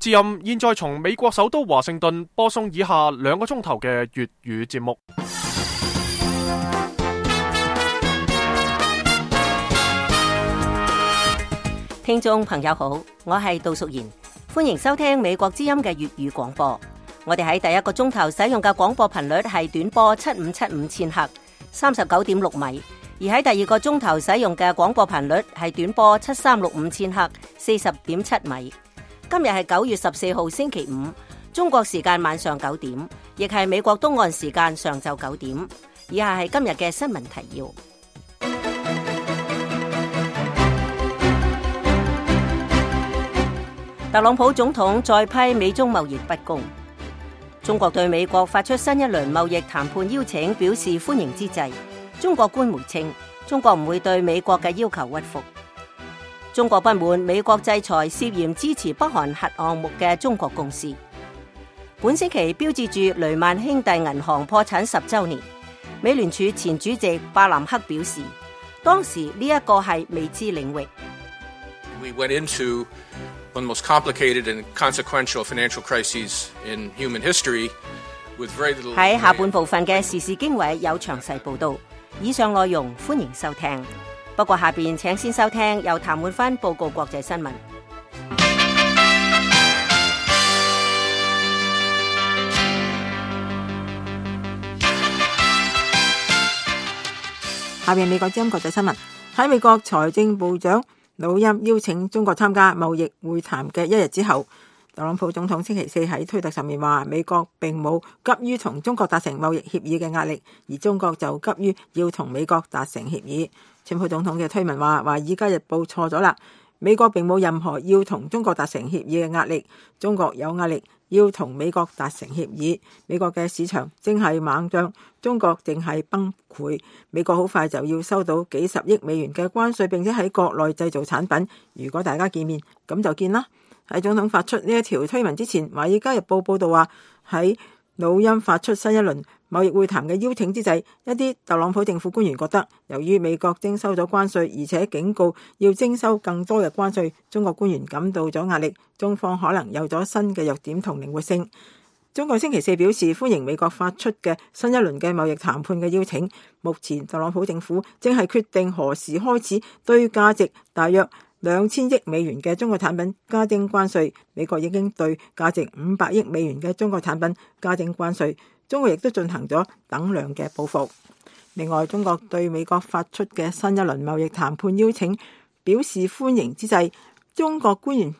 之音現在從美國首都華盛頓播送以下2個鐘頭嘅粵語節目。聽眾朋友好，我係杜淑賢，歡迎收聽美國之音嘅粵語廣播。我哋喺第1個鐘頭使用嘅廣播頻率係短波7575千赫，39.6米；而喺第2個鐘頭使用嘅廣播頻率係短波7365千赫，40.7米。今日係9月14號星期五，中國時間晚上9點，亦係美國東岸時間上晝9點。以下係今日嘅新聞提要。特朗普總統再批美中貿易不公。中國對美國發出新一輪貿易談判邀請表示歡迎之際，中國官媒稱中國唔會對美國嘅要求屈服。中國不滿美國制裁涉嫌支持北韓核項目嘅中國公司。本星期標誌住雷曼兄弟銀行破產10週年。美聯儲前主席巴南克表示，當時呢一個係未知領域。We went into one of the most complicated and consequential financial crises in human history with very little. 喺下半部分嘅時事經緯有詳細報道，以上內容歡迎收聽。不過下邊請先收聽由譚煥芬報告國際新聞。下邊美國之音國際新聞。喺美國財政部長努欽邀請中國參加貿易會談嘅1日之後，特朗普總統星期4喺推特上面話，美國並冇急於同中國達成貿易協議嘅壓力，而中國就急於要同美國達成協議。川普總統嘅推文話，華爾街日報錯咗啦，美國並冇任何要同中國達成協議嘅壓力，中國有壓力要同美國達成協議。美國嘅市場正係猛漲，中國正係崩潰。美國好快就要收到幾十億美元嘅關稅，並且喺國內製造產品。如果大家見面，咁就見啦。喺總統發出呢一條推文之前，華爾街日報報道話，喺努欽發出新一輪貿易會談嘅邀請之際，一啲特朗普政府官員覺得，由於美國徵收咗關稅，而且警告要徵收更多嘅關稅，中國官員感到咗壓力，中方可能有咗新嘅弱點同靈活性。中國星期4表示歡迎美國發出嘅新一輪嘅貿易談判嘅邀請。目前特朗普政府正係決定何時開始對價值大約2000億美元嘅中國產品加徵關稅。美國已經對價值500億美元嘅中國產品加徵關稅，中國亦都進行咗等量嘅報復。另外，中國對美國發出嘅新一輪貿易談判邀請表示歡迎之際，中國官員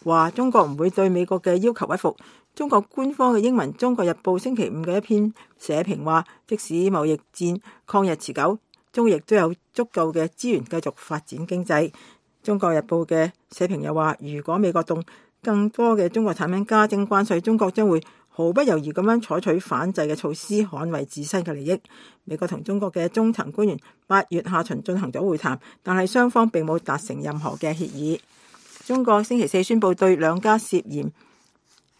話中國唔會對美國嘅要求屈服。中國官方嘅英文《中國日報》星期5嘅一篇社評話，即使貿易戰抗日持久，中國亦都有足夠嘅資源繼續發展經濟。中國日報嘅社評又話，如果美國動更多嘅中國產品加徵關稅，中國將會毫不猶豫咁樣採取反制嘅措施，捍衛自身嘅利益。美國同中國嘅中層官員8月下旬進行咗會談，但係雙方並冇達成任何嘅協議。中國星期4宣布對2家涉嫌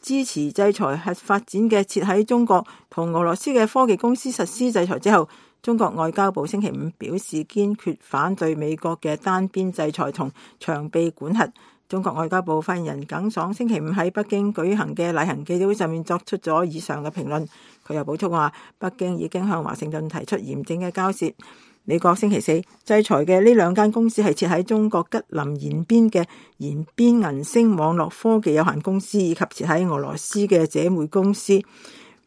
支持制裁核發展嘅設喺中國同俄羅斯嘅科技公司實施制裁之後，中國外交部星期5表示堅決反對美國嘅單邊制裁同長臂管轄。中國外交部發言人耿爽星期5喺北京舉行嘅例行記者會上面作出咗以上嘅評論。佢又補充話，北京已經向華盛頓提出嚴正嘅交涉。美國星期4制裁嘅呢2間公司係設喺中國吉林延邊嘅延邊銀星網絡科技有限公司，以及設喺俄羅斯嘅姐妹公司。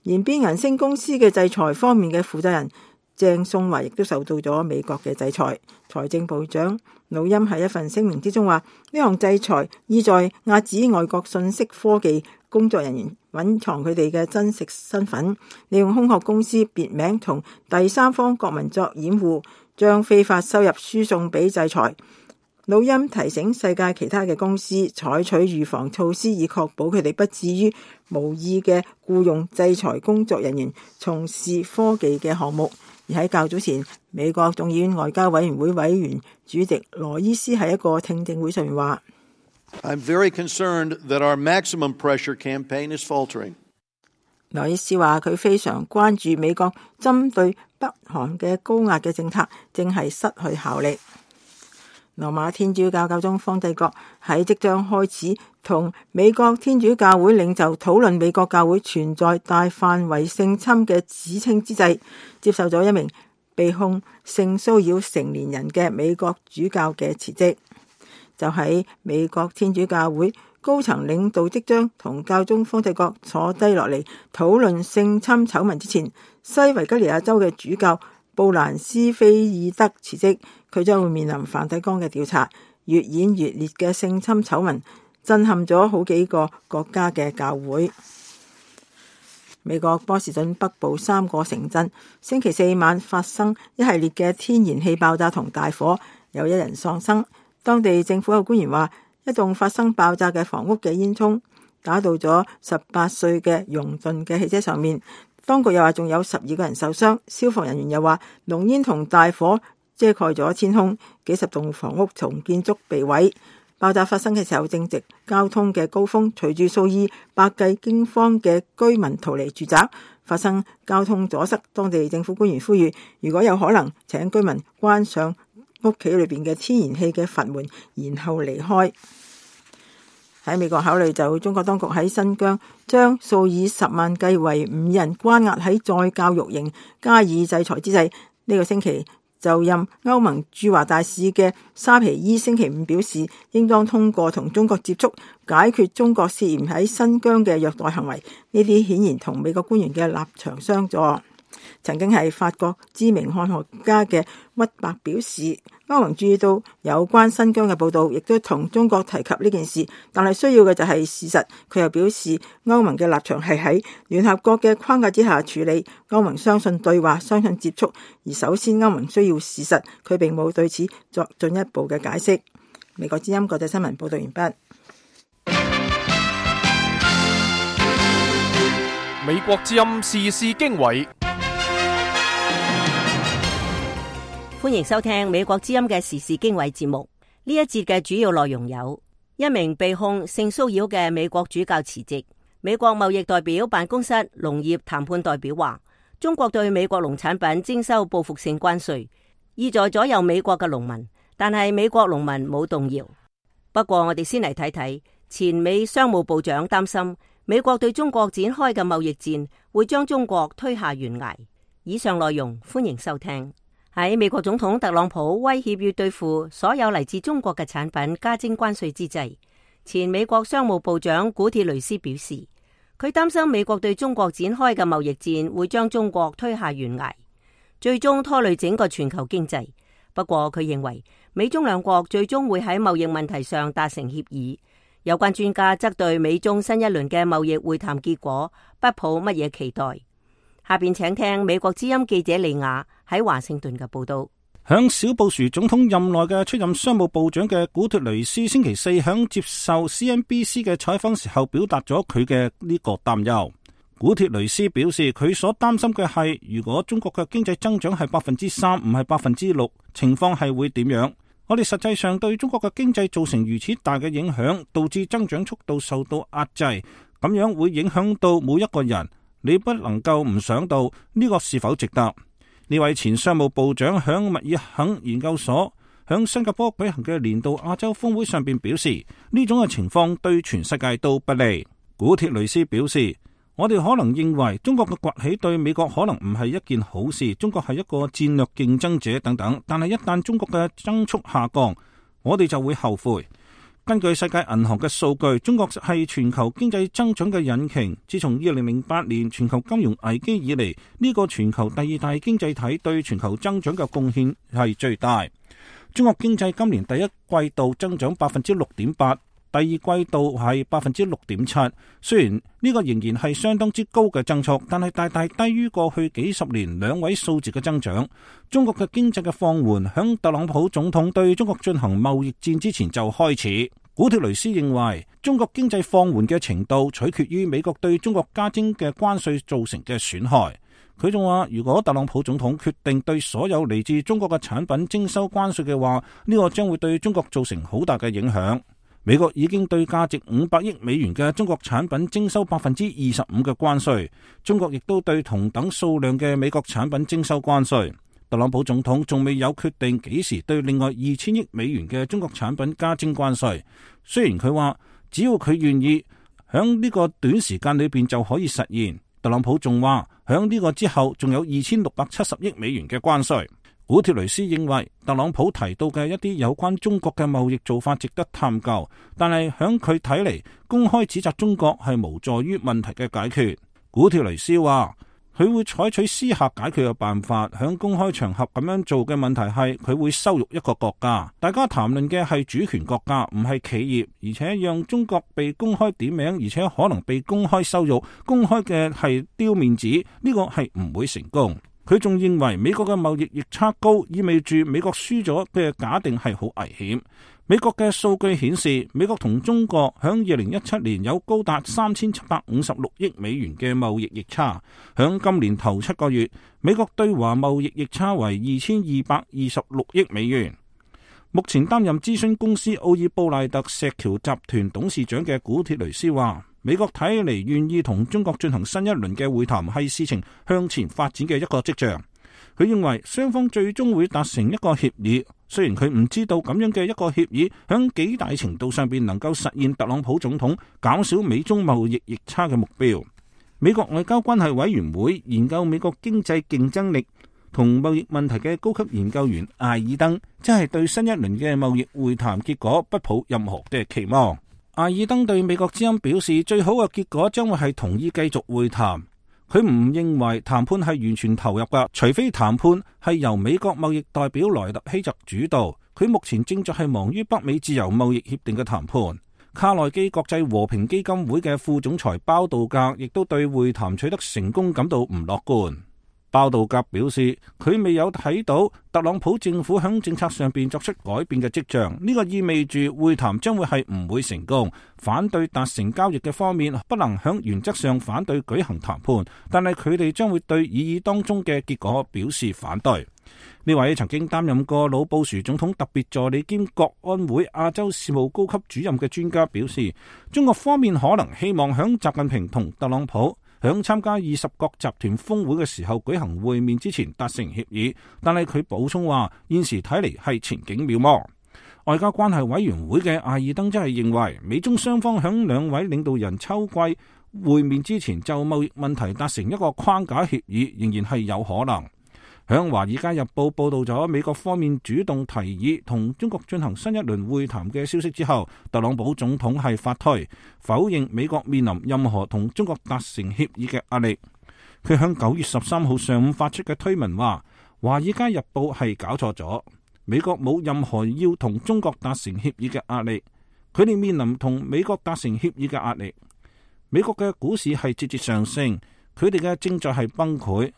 延邊銀星公司嘅制裁方面嘅負責人鄭宋華亦都受到咗美國嘅制裁。財政部長努欽喺一份聲明之中話，呢項制裁意在遏止外國信息科技工作人員隱藏佢哋嘅真實身份，利用空殼公司別名同第三方國民作掩護，將非法收入輸送俾制裁。努欽提醒世界其他嘅公司採取預防措施，以確保佢哋不至於無意嘅僱用制裁工作人員從事科技嘅項目。而喺較早前，美國眾議院外交委員會委員主席羅伊斯喺一個聽證會上面話I'm very concerned that our maximum pressure campaign is faltering. 羅伊斯話佢非常關注美國針對北韓嘅高壓嘅政策正係失去效力。羅馬天主教教宗方濟各喺即將開始同美國天主教會領袖討論美國教會存在大範圍性侵嘅指稱之際，接受咗一名被控性騷擾成年人嘅美國主教嘅辭職。就喺美國天主教會高層領導即將同教宗方濟各坐低落嚟討論性侵醜聞之前，西維吉尼亞州嘅主教布蘭斯菲爾德辭職，佢將會面臨梵蒂岡嘅調查。越演越烈嘅性侵醜聞震撼咗好幾個國家嘅教會。美國波士頓北部3個城鎮星期四晚發生一系列嘅天然氣爆炸同大火，有1人喪生。當地政府有官員話，一棟發生爆炸嘅房屋嘅煙囪打到咗18歲嘅容頓嘅汽車上面。當局又話仲有12個人受傷。消防人員又話，濃煙同大火遮蓋咗天空，幾十棟房屋同建築被毀。爆炸發生嘅時候正值交通嘅高峰，隨住數以百計驚慌嘅居民逃離住宅，發生交通阻塞。當地政府官員呼籲，如果有可能，請居民關上屋企裏邊嘅天然氣嘅閥門，然後離開。喺美國考慮就中國當局喺新疆將數以10萬計維吾人關押喺再教育營加以制裁之際，呢個星期就任歐盟駐華大使嘅沙皮伊星期五表示，應當通過同中國接觸解決中國涉嫌喺新疆嘅虐待行為。呢啲顯然同美國官員嘅立場相左。曾經係法國知名漢學家嘅屈伯表示，歐盟注意到有關新疆嘅報道，亦都同中國提及呢件事，但係需要嘅就係事實。佢又表示，歐盟嘅立場係喺聯合國嘅框架之下處理。歐盟相信對話，相信接觸，而首先歐盟需要事實。佢並冇對此作進一步嘅解釋。美國之音國際新聞報道完畢。美國之音時事經緯。歡迎收聽美國之音嘅時事經緯節目。呢一節嘅主要內容有：一名被控性騷擾嘅美國主教辭職；美國貿易代表辦公室農業談判代表話，中國對美國農產品徵收報復性關稅，意在左右美國嘅農民，但係美國農民冇動搖。不過我哋先嚟睇睇，前美商務部長擔心美國對中國展開嘅貿易戰會將中國推下懸崖。以上內容歡迎收聽。喺美國總統特朗普威脅要對付所有嚟自中國嘅產品加徵關稅之際，前美國商務部長古鐵雷斯表示，佢擔心美國對中國展開嘅貿易戰會將中國推下懸崖，最終拖累整個全球經濟。不過佢認為美中兩國最終會喺貿易問題上達成協議。有關專家則對美中新一輪嘅貿易會談結果不抱乜嘢期待。下邊請聽美國之音記者利亞喺華盛頓嘅報道。響小布殊總統任內嘅出任商務部長嘅古鐵雷斯星期四響接受 CNBC 嘅採訪時候，表達咗佢嘅呢個擔憂。古鐵雷斯表示，佢所擔心嘅係，如果中國嘅經濟增長係3%，唔係6%，情況係會點樣？我哋實際上對中國嘅經濟造成如此大嘅影響，導致增長速度受到壓制，咁樣會影響到每一個人。你不能夠唔想到呢個是否值得？呢位前商務部長響密爾肯研究所響新加坡舉行嘅年度亞洲峰會上邊表示，呢種嘅情況對全世界都不利。古鐵雷斯表示，我哋可能認為中國嘅崛起對美國可能唔係一件好事，中國係一個戰略競爭者等等，但係一旦中國嘅增速下降，我哋就會後悔。根據世界銀行嘅數據，中國係全球經濟增長嘅引擎。自從2008年全球金融危機以嚟，呢個全球第2大經濟體對全球增長嘅貢獻係最大。中國經濟今年第一季度增長6.8%，第二季度係6.7%。雖然呢個仍然係相當之高嘅增速，但係大大低於過去幾十年2位數字嘅增長。中國嘅經濟嘅放緩，響特朗普總統對中國進行貿易戰之前就開始。古鐵雷斯認為，中國經濟放緩嘅程度取決於美國對中國加徵嘅關稅造成嘅損害。佢仲話，如果特朗普總統決定對所有嚟自中國嘅產品徵收關稅嘅話，呢個將會對中國造成好大嘅影響。美國已經對價值500億美元嘅中國產品徵收25%嘅關稅，中國亦都對同等數量嘅美國產品徵收關稅。特朗普總統仲未有決定幾時對另外2000億美元嘅中國產品加徵關稅。雖然佢話只要佢願意，響呢個短時間裏邊就可以實現。特朗普仲話響呢個之後仲有2670億美元嘅關稅。古鐵雷斯認為特朗普提到嘅一啲有關中國嘅貿易做法值得探究，但係響佢睇嚟，公開指責中國係無助於問題嘅解決。古鐵雷斯話佢會採取私下解決嘅辦法，響公開場合咁樣做嘅問題係佢會羞辱一個國家。大家談論嘅係主權國家，唔係企業，而且讓中國被公開點名，而且可能被公開羞辱，公開嘅係丟面子，呢個係唔會成功。佢仲認為美國嘅貿易逆差高，意味住美國輸咗嘅假定係好危險。美國嘅數據顯示，美國同中國響2017年有高達3756億美元嘅貿易逆差。響今年頭7個月，美國對華貿易逆差為2226億美元。目前擔任諮詢公司奧爾布賴特石橋集團董事長嘅古鐵雷斯話，美國睇嚟願意同中國進行新一輪嘅會談，係事情向前發展嘅一個跡象。佢認為雙方最終會達成一個協議，雖然佢唔知道咁樣嘅一個協議響幾大程度上邊能夠實現特朗普總統減少美中貿易逆差嘅目標。美國外交關係委員會研究美國經濟競爭力同貿易問題嘅高級研究員艾爾登，即係對新一輪嘅貿易會談結果不抱任何嘅期望。艾爾登對美國之音表示，最好嘅結果將會係同意繼續會談。佢唔認為談判係完全投入㗎，除非談判係由美國貿易代表萊特希澤主導。佢目前正在係忙於北美自由貿易協定嘅談判。卡內基國際和平基金會嘅副總裁包道格亦都對會談取得成功感到唔樂觀。包道格表示，佢未有睇到特朗普政府響政策上邊作出改變嘅跡象，呢個意味住會談將會係唔會成功。反對達成交易嘅方面不能響原則上反對舉行談判，但係佢哋將會對議當中嘅結果表示反對。呢位曾經擔任過老布殊總統特別助理兼國安會亞洲事務高級主任嘅專家表示，中國方面可能希望響習近平同特朗普響參加20國集團峰會嘅時候舉行會面之前達成協議，但係佢補充話，現時睇嚟係前景渺茫。外交關係委員會嘅艾爾登則係認為，美中雙方響兩位領導人秋季會面之前就貿易問題達成一個框架協議，仍然係有可能。響《華爾街日報》報道咗美國方面主動提議同中國進行新一輪會談嘅消息之後，特朗普總統係發推否認美國面臨任何同中國達成協議嘅壓力。佢響9月13號上午發出嘅推文話，《華爾街日報》係搞錯咗，美國冇任何要同中國達成協議嘅壓力，佢哋面臨同美國達成協議嘅壓力。美國嘅股市係節節上升，佢哋嘅正在係崩潰。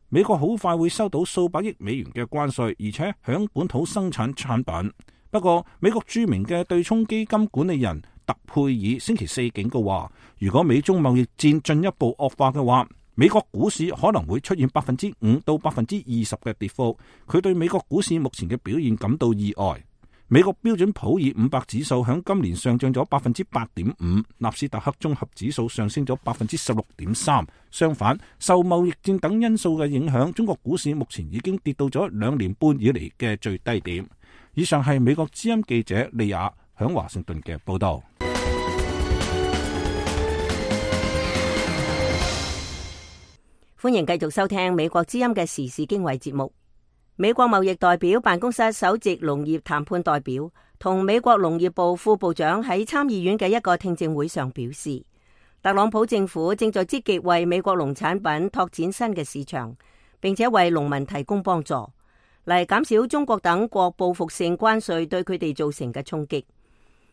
美國好快會收到數百億美元嘅關稅，而且響本土生產產品。不過，美國著名嘅對沖基金管理人特佩爾星期四警告話，如果美中貿易戰進一步惡化嘅話，美國股市可能會出現5%到20%嘅跌幅。佢對美國股市目前嘅表現感到意外。美國標準普爾500指數響今年上漲咗8.5%，納斯達克綜合指數上升咗16.3%。相反，受貿易戰等因素嘅影響，中國股市目前已經跌到咗2年半以嚟嘅最低點。以上係美國之音記者利亞響華盛頓嘅報道。歡迎繼續收聽美國之音嘅時事經緯節目。美國貿易代表辦公室首席農業談判代表同美國農業部副部長喺參議院嘅一個聽證會上表示，特朗普政府正在積極為美國農產品拓展新嘅市場，並且為農民提供幫助，嚟減少中國等國報復性關稅對佢哋造成嘅衝擊。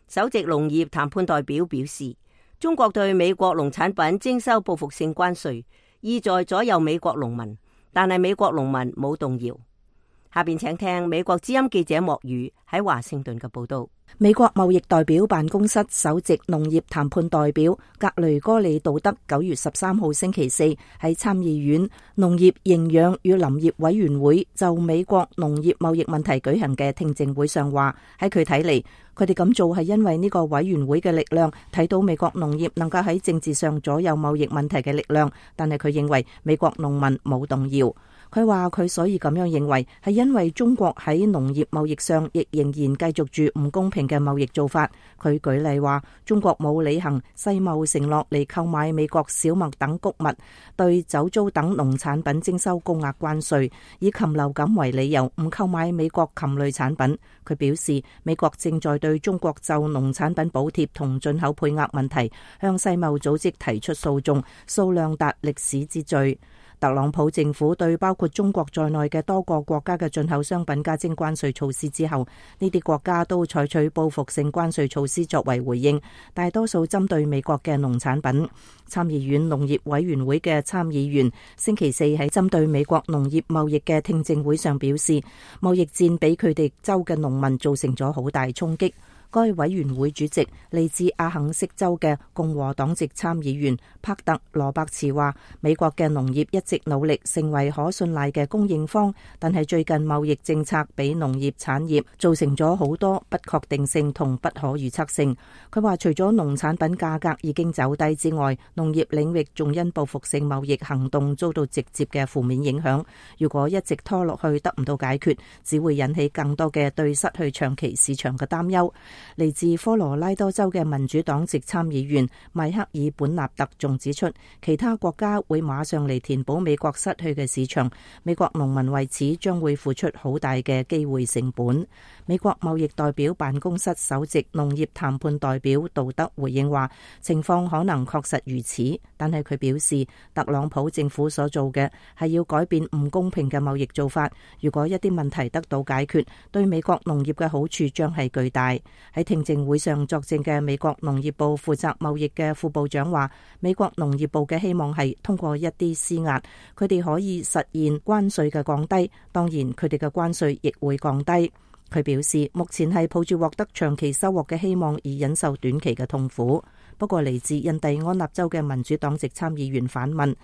首席農業談判代表表示，中國對美國農產品徵收報復性關稅，意在左右美國農民，但係美國農民冇動搖。下邊請聽美國之音記者莫宇喺華盛頓嘅報道。美國貿易代表辦公室首席農業談判代表格雷戈里杜德9月13號星期四喺參議院農業營養與林業委員會就美國農業貿易問題舉行嘅聽證會上話，喺佢睇嚟，佢哋咁做係因為呢個委員會嘅力量睇到美國農業能夠喺政治上左右貿易問題嘅力量，但係佢認為美國農民冇動搖。佢話佢所以咁樣認為係因為中國喺農業貿易上亦仍然繼續住唔公平嘅貿易做法。佢舉例話，中國冇履行世貿承諾嚟購買美國小麥等穀物，對酒糟等農產品徵收高額關稅，以禽流感為理由唔購買美國禽類產品。佢表示，美國正在對中國就農產品補貼同進口配額問題向世貿組織提出訴訟，數量達歷史之最。特朗普政府對包括中國在內嘅多個國家嘅進口商品加徵關稅措施之後，呢啲國家都採取報復性關稅措施作為回應，大多數針對美國嘅農產品。參議院農業委員會嘅參議員星期四喺針對美國農業貿易嘅聽證會上表示，貿易戰俾佢哋州嘅農民造成咗好大衝擊。該委員會主席嚟自阿肯色州嘅共和黨籍參議員帕特羅伯茨話，美國嘅農業一直努力成為可信賴嘅供應方，但係最近貿易政策俾農業產業造成咗好多不確定性同不可預測性。佢話除咗農產品價格已經走低之外，農業領域仲因報復性貿易行動遭到直接嘅負面影響。如果一直拖落去得唔到解決，只會引起更多嘅對失去長期市場嘅擔憂。嚟自科羅拉多州嘅民主黨籍參議員邁克爾本納特仲指出，其他國家會馬上嚟填補美國失去嘅市場，美國農民為此將會付出好大嘅機會成本。美國貿易代表辦公室首席農業談判代表杜德回應話，情況可能確實如此，但係佢表示，特朗普政府所做嘅係要改變唔公平嘅貿易做法。如果一啲問題得到解決，對美國農業嘅好處將係巨大。喺聽證會上作證嘅美國農業部負責貿易嘅副部長話，美國農業部嘅希望係通過一啲施壓，佢哋可以實現關稅嘅降低，當然佢哋嘅關稅亦會降低。佢表示，目前係抱住獲得長期收穫嘅希望而忍受短期嘅痛苦。不過嚟自印第安納州嘅民主黨籍參議員反問，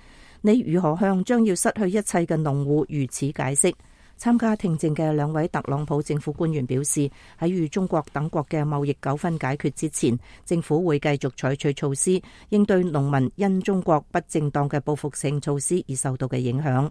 你如何向將要失去一切嘅農戶如此解釋？參加聽證嘅兩位特朗普政府官員表示，喺與中國等國嘅貿易糾紛解決之前，政府會繼續採取措施，應對農民因中國不正當嘅報復性措施而受到嘅影響。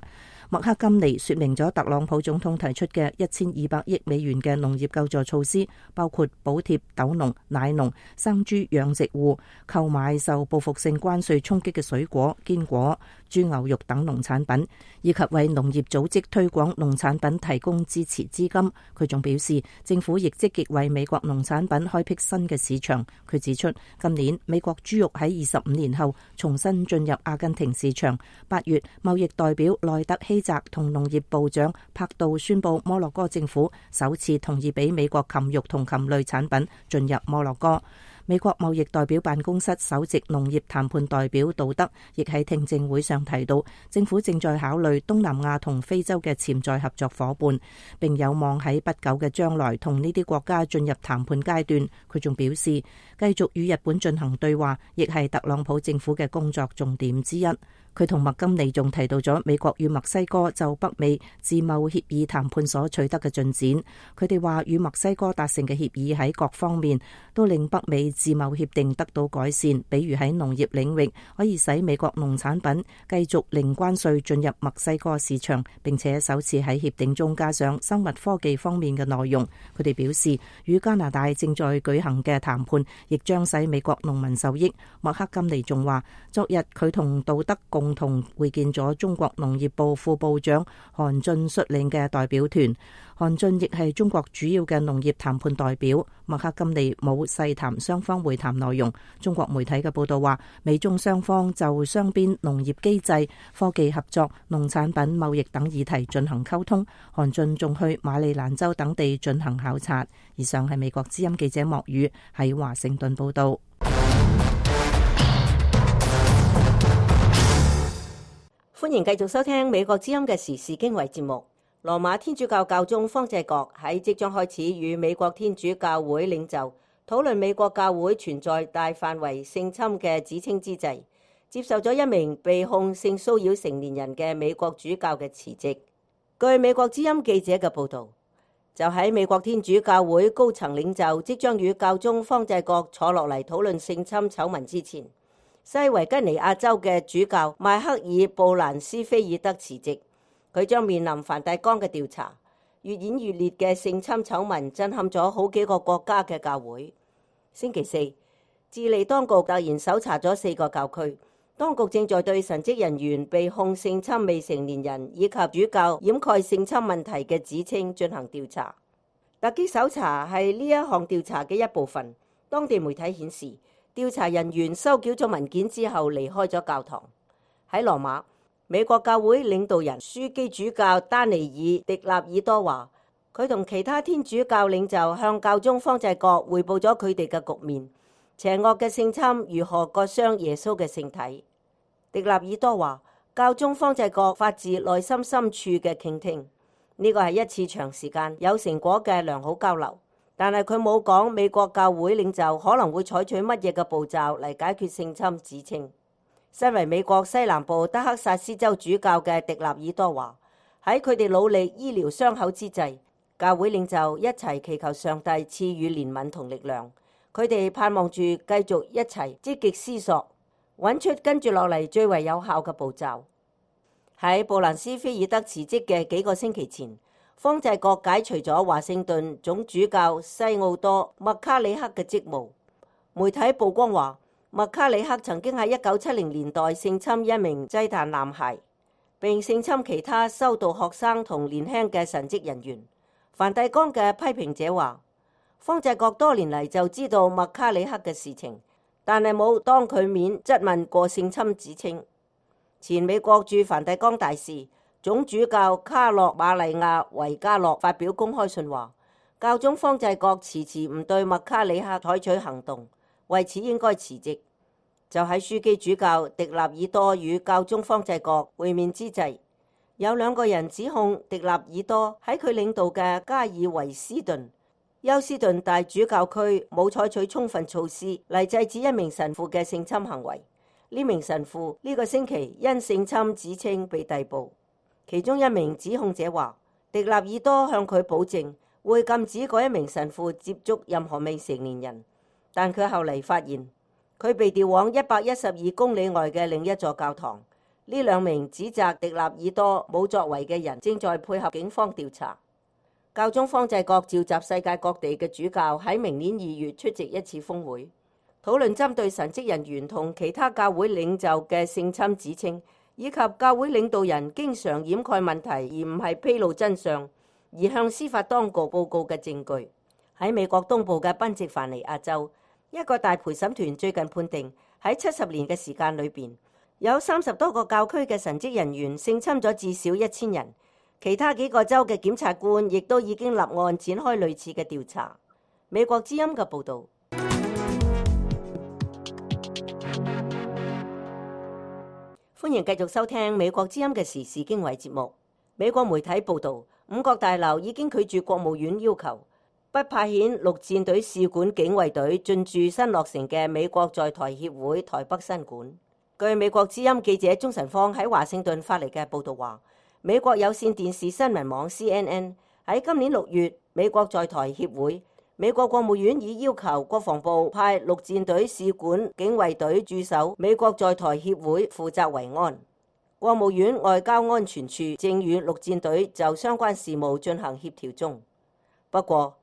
麥克金尼說明咗特朗普總統提出嘅1200億美元嘅農業救助措施，包括補貼豆農、奶農、生豬養殖戶購買受報復性關稅衝擊嘅水果、堅果、豬牛肉等農產品，以及為農業組織推廣農產品提供支持資金。佢仲表示，政府亦積極為美國農產品開闢新嘅市場。佢指出，今年美國豬肉喺25年後重新進入阿根廷市場。8月，貿易代表內特希澤同農業部長柏杜宣布，摩洛哥政府首次同意俾美國禽肉同禽類產品進入摩洛哥。美國貿易代表辦公室首席農業談判代表杜德亦喺聽證會上提到，政府正在考慮東南亞同非洲嘅潛在合作夥伴，並有望喺不久嘅將來同呢啲國家進入談判階段。佢仲表示，繼續與日本進行對話，亦係特朗普政府嘅工作重點之一。佢同麥金尼仲提到咗美國與墨西哥就北美自貿協議談判所取得嘅進展。佢哋話與墨西哥達成嘅協議喺各方面都令北美自貿協定得到改善，比如喺農業領域可以使美國農產品繼續零關稅進入墨西哥市場，並且首次喺協定中加上生物科技方面嘅內容。佢哋表示，與加拿大正在舉行嘅談判亦將使美國農民受益。麥克金尼仲話，昨日佢同杜德共同會見咗中國農業部副部長韓俊率領嘅代表團。韓俊亦係中國主要嘅農業談判代表。麥克金尼冇細談雙方會談內容。中國媒體嘅報道話，美中雙方就雙邊農業機制、科技合作、農產品貿易等議題進行溝通。韓俊仲去馬里蘭州等地進行考察。以上係美國之音記者莫宇喺華盛頓報道。歡迎繼續收聽美國之音嘅時事經緯節目。羅馬天主教教宗方濟各喺即將開始與美國天主教會領袖討論美國教會存在大範圍性侵嘅指稱之際，接受咗一名被控性騷擾成年人嘅美國主教嘅辭職。據美國之音記者嘅報道，就喺美國天主教會高層領袖即將與教宗方濟各坐落嚟討論性侵醜聞之前，西維吉尼亞州嘅主教邁克爾布蘭斯菲爾德辭職，佢將面臨梵蒂岡嘅調查。越演越烈嘅性侵醜聞震撼咗好幾個國家嘅教會。星期四，智利當局突然搜查咗4個教區，當局正在對神職人員被控性侵未成年人以及主教掩蓋性侵問題嘅指稱進行調查。突擊搜查係呢一項調查嘅一部分。當地媒體顯示，調查人員收繳咗文件之後離開咗教堂。喺羅馬，美國教會領導人樞機主教丹尼爾·迪納爾多話，佢同其他天主教領袖向教宗方濟各匯報咗佢哋嘅局面，邪惡嘅性侵如何割傷耶穌嘅聖體。迪納爾多話，教宗方濟各發自內心深處嘅傾聽，呢個係一次長時間有成果嘅良好交流。但係佢冇講美國教會領袖可能會採取乜嘢嘅步驟嚟解決性侵指稱。身為美國西南部德克薩斯州主教嘅迪納爾多話，喺佢哋努力醫療傷口之際，教會領袖一齊祈求上帝賜予憐憫同力量。佢哋盼望住繼續一齊積極思索，揾出跟住落嚟最為有效嘅步驟。喺布蘭斯菲爾德辭職嘅幾個星期前，方濟各解除咗華盛頓總主教西奧多麥卡里克嘅職務。媒體曝光話，麥卡里克曾經喺1970年代性侵一名祭壇男孩，並性侵其他修道學生同年輕嘅神職人員。梵蒂岡嘅批評者話，方濟各多年嚟就知道麥卡里克嘅事情，但係冇當佢面質問過性侵指稱。前美國駐梵蒂岡大使總主教卡洛馬利亞維加洛發表公開信話，教宗方濟各遲遲唔對麥卡里克採取行動，為此應該辭職。就喺樞機主教迪納爾多與教宗方濟各會面之際，有2個人指控迪納爾多喺佢領導嘅加爾維斯頓休斯頓大主教區冇採取充分措施嚟制止一名神父嘅性侵行為。呢名神父呢個星期因性侵指稱被逮捕。其中一名指控者話，迪納爾多向佢保證會禁止嗰一名神父接觸任何未成年人，但佢後嚟發現佢被調往112公里外嘅另一座教堂。呢2名指責迪納爾多冇作為嘅人正在配合警方調查。教宗方濟各召集世界各地嘅主教喺明年2月出席一次峰會，討論針對神職人員同其他教會領袖嘅性侵指稱，以及教會領導人經常掩蓋問題而唔係披露真相，而向司法當局報告嘅證據。喺美國東部嘅賓夕凡尼亞州，一個大陪審團最近判定喺70年嘅時間裏邊，有30多個教區嘅神職人員性侵咗至少1000人。其他幾個州嘅檢察官亦都已經立案展開類似嘅調查。美國之音嘅報導。歡迎繼續收聽美國之音嘅時事經緯節目。美國媒體報導，5角大樓已經拒絕國務院要求不派遣陸戰隊使館警衛隊進駐新落成嘅美國在台協會台北新館。據美國之音記者鍾晨芳喺華盛頓發嚟嘅報導話，美國有線電視新聞網 CNN 喺今年6月，美國在台協會，美國國務院已要求國防部派陸戰隊使館警衛隊駐守美國在台協會，負責維安。國務院外交安全處正與陸戰隊就相關事務進行協調中。不過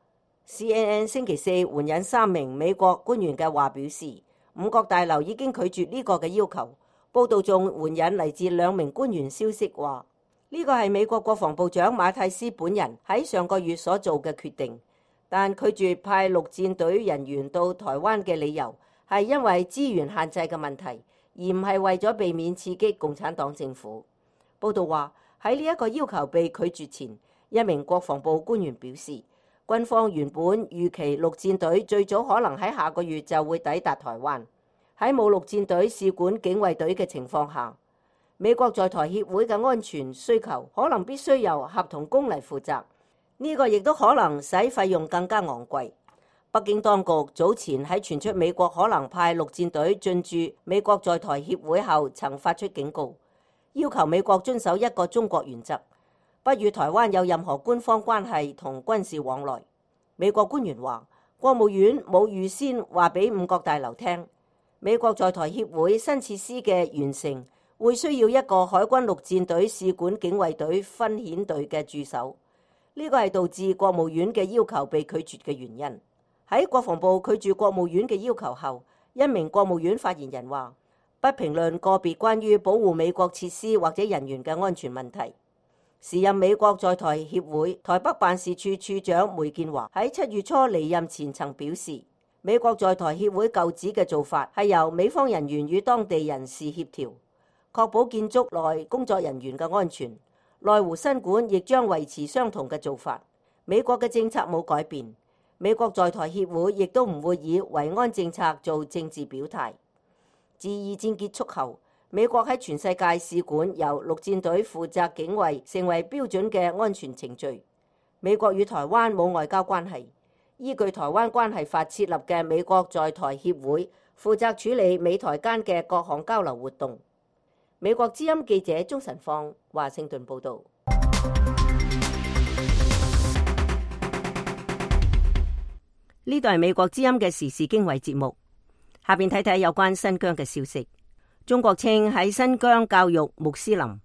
CNN 星期四援引3名美國官員嘅話表示，5角大樓已經拒絕呢個嘅要求。報道仲援引嚟自2名官員消息話，呢個係美國國防部長馬泰斯本人喺上個月所做嘅決定，但拒絕派陸戰隊人員到台灣嘅理由係因為資源限制嘅問題，而唔係為咗避免刺激共產黨政府。報道話，喺呢一個要求被拒絕前，一名國防部官員表示，軍方原本預期陸戰隊最早可能喺下個月就會抵達台灣。喺冇陸戰隊使館警衛隊嘅情況下，美國在台協會嘅安全需求可能必須由合同工嚟負責，呢個亦都可能使費用更加昂貴。北京當局早前喺傳出美國可能派陸戰隊進駐美國在台協會後，曾發出警告，要求美國遵守一個中國原則，不與台灣有任何官方關係同軍事往來。美國官員話，國務院冇預先話俾5角大樓聽，美國在台協會新設施嘅完成會需要一個海軍陸戰隊使館警衛隊分遣隊嘅駐守。呢個係導致國務院嘅要求被拒絕嘅原因。喺國防部拒絕國務院嘅要求後，一名國務院發言人話：不評論個別關於保護美國設施或者人員嘅安全問題。時任美國在台協會台北辦事處處長梅建華喺7月初離任前曾表示，美國在台協會舊址嘅做法係由美方人員與當地人士協調，確保建築內工作人員嘅安全。內湖新館亦將維持相同嘅做法。美國嘅政策冇改變，美國在台協會亦都唔會以維安政策做政治表態。自二戰結束後，美國喺全世界使館由陸戰隊負責警衛，成為標準嘅安全程序。美國與台灣冇外交關係，依據《台灣關係法》設立嘅美國在台協會負責處理美台間嘅各項交流活動。美國之音記者鍾晨放華盛頓報道。呢度係美國之音嘅時事經緯節目，下邊睇睇有關新疆嘅消息。中國稱喺新疆教育穆斯林，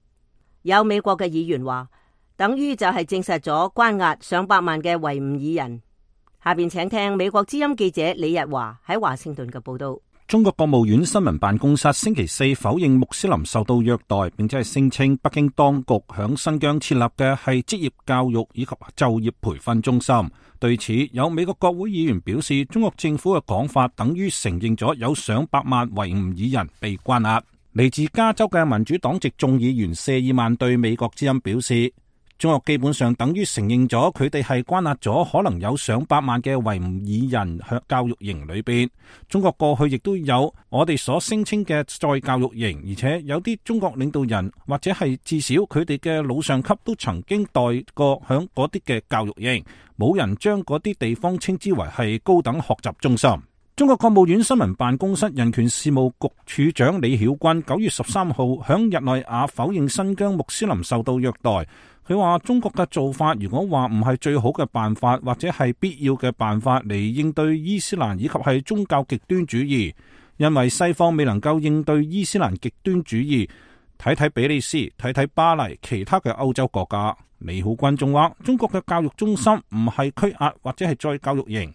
有美國嘅議員話，等於就係證實咗關押上百萬嘅維吾爾人。下邊請聽美國之音記者李日華喺華盛頓嘅報道。中國國務院新聞辦公室星期四否認穆斯林受到虐待，並且係聲稱北京當局響新疆設立嘅係職業教育以及就業培訓中心。對此，有美國國會議員表示，中國政府嘅講法等於承認咗有上百萬維吾爾人被關押。嚟自加州嘅民主黨籍眾議員謝爾曼對美國之音表示，中國基本上等於承認咗佢哋係關押咗可能有上百萬嘅維吾爾人喺教育營裏邊。中國過去亦都有我哋所聲稱嘅再教育營，而且有啲中國領導人或者係至少佢哋嘅老上級都曾經待過響嗰啲嘅教育營，冇人將嗰啲地方稱之為係高等學習中心。中國國務院新聞辦公室人權事務局處長李曉君9月13號響日內瓦否認新疆穆斯林受到虐待。佢話中國嘅做法如果話唔係最好嘅辦法，或者係必要嘅辦法嚟應對伊斯蘭以及係宗教極端主義，因為西方未能夠應對伊斯蘭極端主義。睇睇比利時，睇睇巴黎，其他嘅歐洲國家。李曉君仲話中國嘅教育中心唔係拘押或者係再教育營。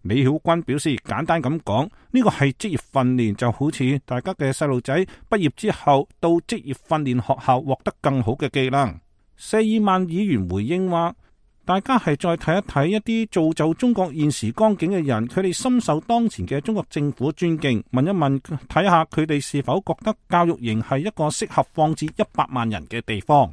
李曉君表示，簡單咁講，呢個係職業訓練，就好似大家嘅細路仔畢業之後到職業訓練學校獲得更好嘅技能。謝爾曼議員回應話，大家係再睇一睇一啲造就中國現時光景嘅人，佢哋深受當前嘅中國政府尊敬，問一問睇下佢哋是否覺得教育營係一個適合放置100萬人嘅地方。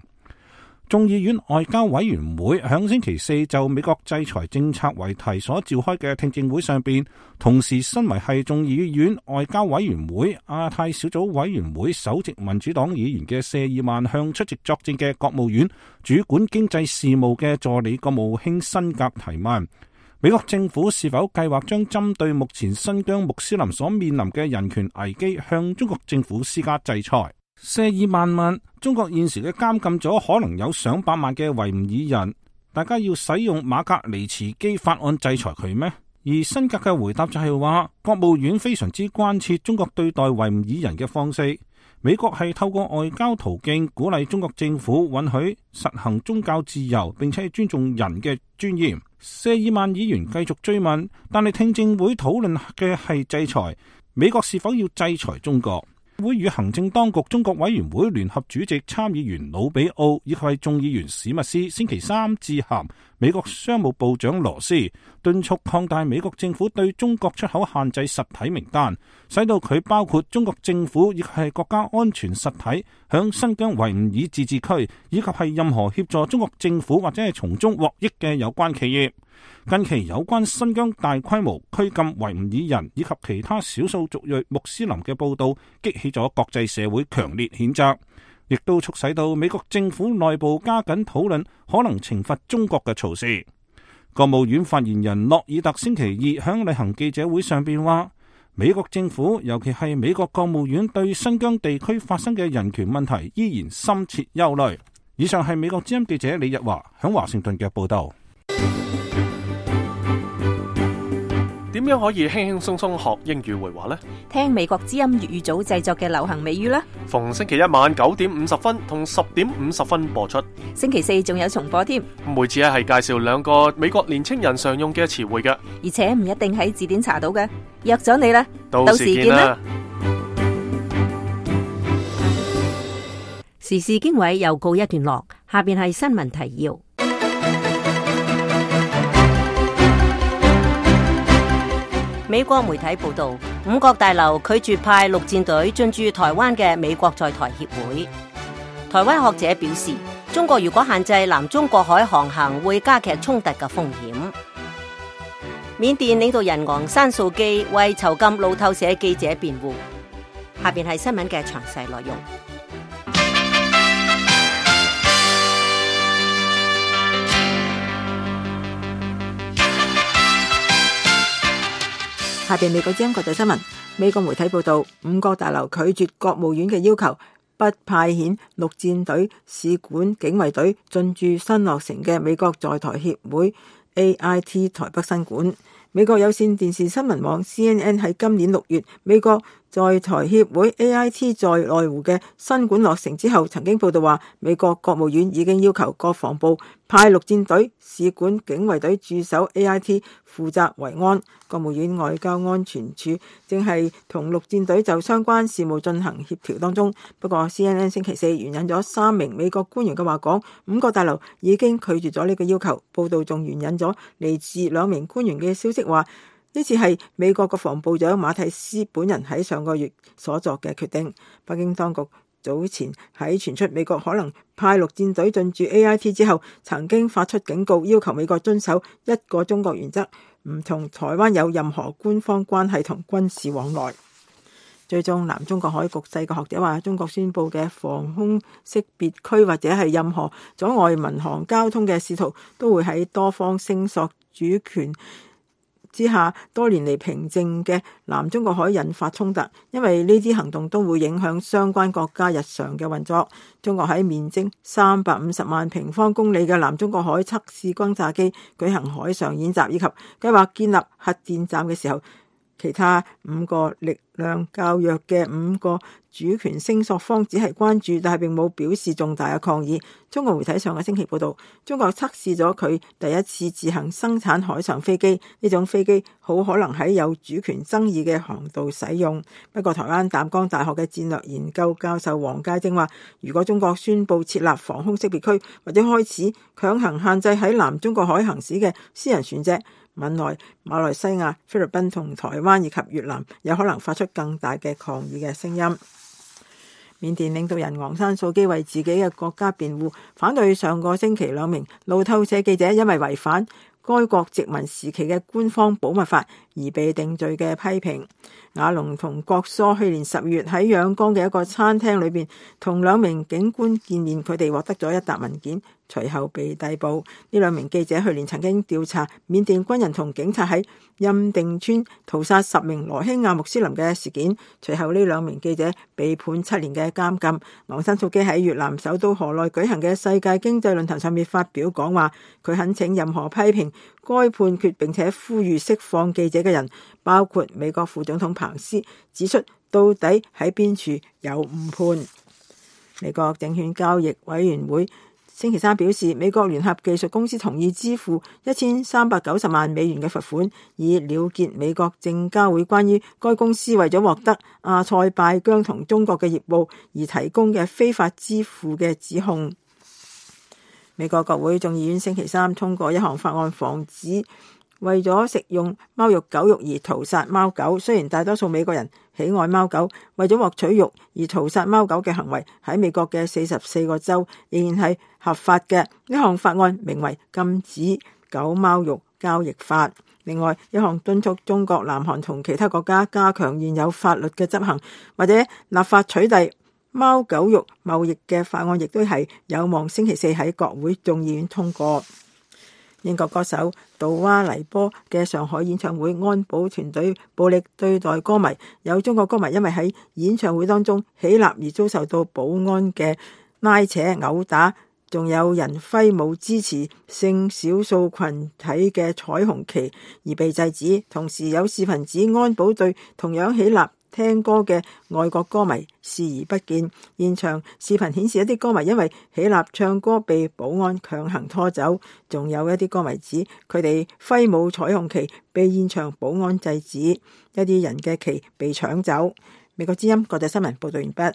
眾議院外交委員會響星期四就美國制裁政策為題所召開嘅聽證會上邊，同時身為係眾議院外交委員會亞太小組委員會首席民主黨議員嘅謝爾曼向出席作證嘅國務院主管經濟事務嘅助理國務卿辛格提問，美國政府是否計劃將針對目前新疆穆斯林所面臨嘅人權危機向中國政府施加制裁。謝爾曼問，中國現時嘅監禁咗可能有上百萬嘅維吾爾人，大家要使用馬格尼茨基法案制裁佢咩？而辛格嘅回答就係話，國務院非常之關切中國對待維吾爾人嘅方式，美國係透過外交途徑鼓勵中國政府允許實行宗教自由，並且尊重人嘅尊嚴。謝爾曼議員繼續追問，但係聽證會討論嘅係制裁，美國是否要制裁中國？會與行政當局中國委員會聯合主席參議員魯比奧以及係眾議員史密斯星期三致函美國商務部長羅斯，敦促擴大美國政府對中國出口限制實體名單，使到佢包括中國政府亦係國家安全實體響新疆維吾爾自治區，以及係任何協助中國政府或者係從中獲益嘅有關企業。近期有關新疆大規模拘禁維吾爾人以及其他少數族裔穆斯林嘅報道，激起咗國際社會強烈譴責，亦都促使到美國政府內部加緊討論可能懲罰中國嘅措施。國務院發言人諾爾特星期二響例行記者會上邊話，美國政府尤其係美國國務院對新疆地區發生嘅人權問題依然深切憂慮。以上係美國之音記者李日華響華盛頓嘅報道。點樣可以輕輕鬆鬆學英語會話呢？聽美國之音粵語組製作嘅流行美語啦。逢星期一晚9:50同10:50播出。星期四仲有重播添。每次係介紹2個美國年青人常用嘅詞彙嘅，而且唔一定喺字典查到嘅。約咗你啦，到時見啦。時事經緯又告一段落，下邊係新聞提要。美國媒體報道，五角大樓拒絕派陸戰隊進駐台灣嘅美國在台協會。台灣學者表示，中國如果限制南中國海航行，會加劇衝突嘅風險。緬甸領導人昂山素基為囚禁路透社記者辯護。下邊係新聞嘅詳細內容。下邊美國之音國際新聞，美國媒體報道，五角大樓拒絕國務院嘅要求，不派遣陸戰隊、使館、警衛隊進駐新落成嘅美國在台協會 AIT 台北新館。美國有線電視新聞網 CNN 喺今年6月，美國在台協會 AIT 在內湖嘅新館落成之後，曾經報道話，美國國務院已經要求國防部派陸戰隊、使館、警衛隊駐守 AIT， 負責維安。國務院外交安全處正係同陸戰隊就相關事務進行協調當中。不過 CNN 星期四援引咗3名美國官員嘅話講，五角大樓已經拒絕咗呢個要求。報道仲援引咗嚟自2名官員嘅消息話，呢次係美國國防部長馬蒂斯本人喺上個月所作嘅決定。北京當局早前喺傳出美國可能派陸戰隊進駐 AIT 之後，曾經發出警告，要求美國遵守一個中國原則，唔同台灣有任何官方關係同軍事往來。追蹤南中國海局勢嘅學者話，中國宣布嘅防空識別區或者係任何阻礙民航交通嘅試圖，都會喺多方聲索主權之下多年嚟平靜嘅南中國海引發衝突，因為呢啲行動都會影響相關國家日常嘅運作。中國喺面積350萬平方公里嘅南中國海測試轟炸機舉行海上演習，以及計劃建立核電站嘅時候，其他5個力量較弱嘅5個主權聲索方只係關注，但係並冇表示重大嘅抗議。中國媒體上個星期報道，中國測試咗佢第一次自行生產海上飛機，呢種飛機好可能喺有主權爭議嘅航道使用。不過台灣淡江大學嘅戰略研究教授黃介正話，如果中國宣布設立防空識別區，或者開始強行限制喺南中國海行駛嘅私人船隻，緬來、馬來西亞、菲律賓同台灣以及越南有可能發出更大嘅抗議嘅聲音。緬甸領導人昂山素基為自己嘅國家辯護，反對上個星期2名路透社記者因為違反該國殖民時期嘅官方保密法而被定罪嘅批評。亞龍同郭疏去年10月喺仰光嘅一個餐廳裏邊同2名警官見面，佢哋獲得咗一沓文件，隨後被逮捕。呢2名記者去年曾經調查緬甸軍人同警察喺欽定村屠殺10名羅興亞穆斯林嘅事件，隨後呢2名記者被判7年嘅監禁。昂山素基喺越南首都河內舉行嘅世界經濟論壇上面發表講話，佢懇請任何批評該判決並且呼籲釋放記者嘅人，包括美國副總統彭斯，指出到底喺邊處有誤判。美國證券交易委員會星期3表示，美國聯合技術公司同意支付1390萬美元嘅罰款，以了結美國證交會關於該公司為咗獲得阿塞拜疆同中國嘅業務而提供嘅非法支付嘅指控。美國國會眾議院星期3通過一項法案，防止為咗食用貓肉狗肉而屠殺貓狗。雖然大多數美國人喜愛貓狗，為咗獲取肉而屠殺貓狗嘅行為喺美國嘅44個州仍然係合法嘅。呢項法案名為禁止狗貓肉交易法。另外一項敦促中國、南韓同其他國家加強現有法律嘅執行，或者立法取締貓狗肉貿易嘅法案，亦都係有望星期4喺國會眾議院通過。英國歌手杜娃黎波嘅上海演唱會，安保團隊暴力對待歌迷，有中國歌迷因為喺演唱會當中起立而遭受到保安嘅拉扯毆打，仲有人揮舞支持性少數群體嘅彩虹旗而被制止，同時有視頻指安保對同樣起立聽歌嘅外國歌迷視而不見。現場視頻顯示一啲歌迷因為起立唱歌被保安強行拖走，仲有一啲歌迷指佢哋揮舞彩虹旗被現場保安制止，一啲人嘅旗被搶走。美國之音國際新聞報道完畢。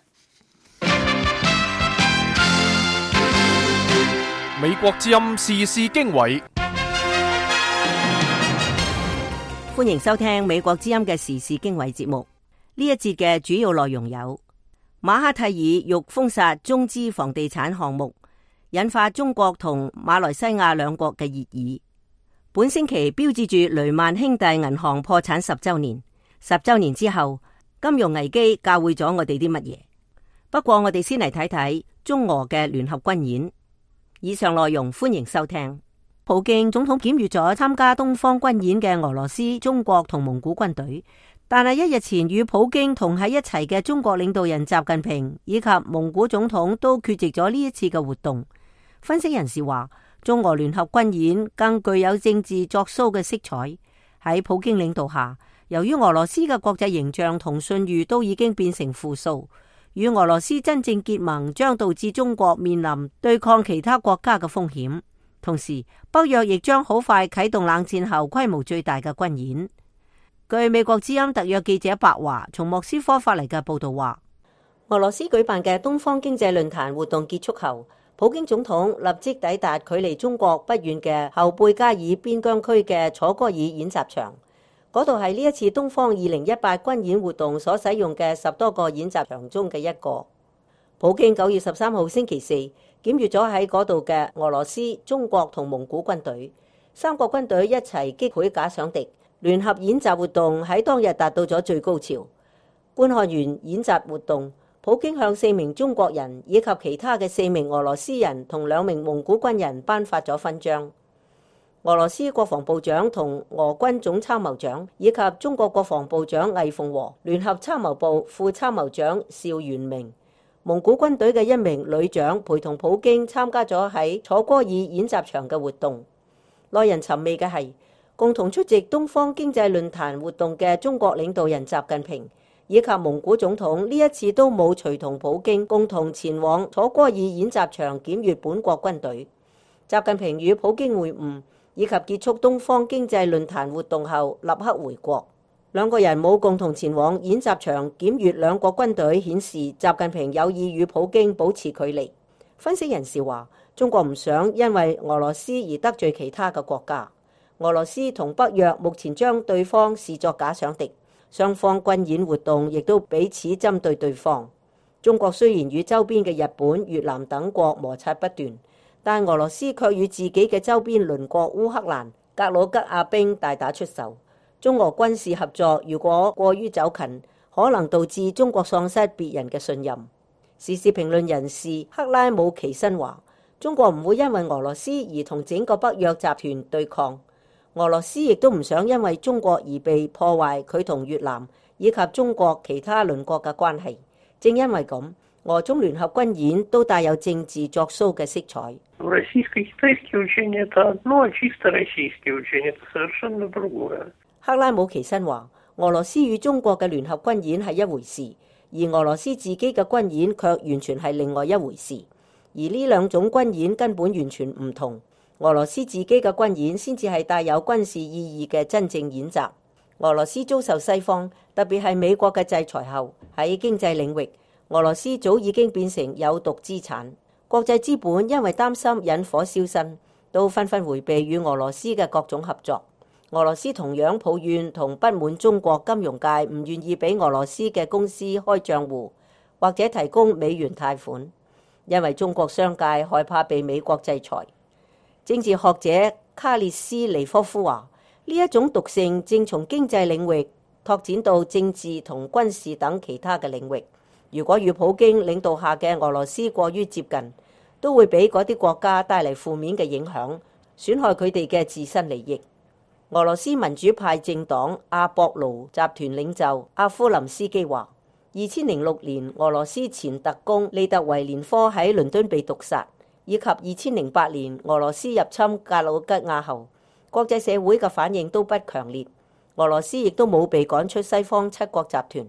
美國之音時事經緯，歡迎收聽美國之音嘅時事經緯節目。呢一節嘅主要內容有：馬哈蒂爾欲封殺中資房地產項目，引發中國同馬來西亞兩國嘅熱議。本星期標誌住雷曼兄弟銀行破產10週年，10週年之後，金融危機教會咗我哋啲乜嘢？不過我哋先嚟睇睇中俄嘅聯合軍演。以上內容歡迎收聽。普京總統檢閱咗參加東方軍演嘅俄羅斯、中國同蒙古軍隊。但係一日前與普京同喺一齊嘅中國領導人習近平以及蒙古總統都缺席咗呢一次嘅活動。分析人士話，中俄聯合軍演更具有政治作秀嘅色彩。喺普京領導下，由於俄羅斯嘅國際形象同信譽都已經變成負數，與俄羅斯真正結盟將導致中國面臨對抗其他國家嘅風險。同時，北約亦將好快啟動冷戰後規模最大嘅軍演。據美國之音特約記者白華從莫斯科發嚟嘅報道話，俄羅斯舉辦嘅東方經濟論壇活動結束後，普京總統立即抵達距離中國不遠嘅後貝加爾邊疆區嘅楚戈爾演習場，嗰度係呢一次東方2018軍演活動所使用嘅10多個演習場中嘅一個。普京9月13號星期四檢閱咗喺嗰度嘅俄羅斯、中國同蒙古軍隊，3個軍隊一齊擊潰假想敵。聯合演習活動喺當日達到咗最高潮。觀看完演習活動，普京向4名中國人以及其他嘅4名俄羅斯人同2名蒙古軍人頒發咗勳章。俄羅斯國防部長同俄軍總參謀長以及中國國防部長魏鳳和、聯合參謀部副參謀長邵元明、蒙古軍隊嘅1名旅長陪同普京參加咗喺楚戈爾演習場嘅活動。耐人尋味嘅係，共同出席東方經濟論壇活動嘅中國領導人習近平以及蒙古總統呢一次都冇隨同普京共同前往楚戈爾演習場檢閱本國軍隊。習近平與普京會晤以及結束東方經濟論壇活動後立刻回國。兩個人冇共同前往演習場檢閱兩國軍隊，顯示習近平有意與普京保持距離。分析人士話，中國唔想因為俄羅斯而得罪其他嘅國家。俄羅斯同北約目前將對方視作假想敵，雙方軍演活動亦都彼此針對對方。中國雖然與周邊嘅日本、越南等國摩擦不斷，但俄羅斯卻與自己嘅周邊鄰國烏克蘭、格魯吉亞兵大打出手。中俄軍事合作如果過於走近，可能導致中國喪失別人嘅信任。時事評論人士克拉姆奇申話，中國唔會因為俄羅斯而同整個北約集團對抗。俄羅斯亦都唔想因為中國而被破壞佢同越南以及中國其他鄰國嘅關係。正因為咁，俄中聯合軍演都帶有政治作秀嘅色彩。克拉姆奇申話，俄羅斯與中國嘅聯合軍演係一回事，而俄羅斯自己嘅軍演卻完全係另外一回事。而呢兩種軍演根本完全唔同。俄羅斯自己嘅軍演先至係帶有軍事意義嘅真正演習。俄羅斯遭受西方，特別係美國嘅制裁後，喺經濟領域，俄羅斯早已經變成有毒資產。國際資本因為擔心引火燒身，都紛紛迴避與俄羅斯嘅各種合作。俄羅斯同樣抱怨同不滿中國金融界唔願意俾俄羅斯嘅公司開賬戶或者提供美元貸款，因為中國商界害怕被美國制裁。政治學者卡列斯尼科夫話，呢一種毒性正從經濟領域拓展到政治同軍事等其他嘅領域。如果與普京領導下嘅俄羅斯過於接近，都會俾嗰啲國家帶嚟負面嘅影響，損害佢哋嘅自身利益。俄羅斯民主派政黨阿博盧集團領袖阿夫林斯基話，2006年俄羅斯前特工利特維連科喺倫敦被毒殺。以及2008年俄羅斯入侵格魯吉亞後，國際社會嘅反應都不強烈。俄羅斯亦都冇被趕出西方七國集團，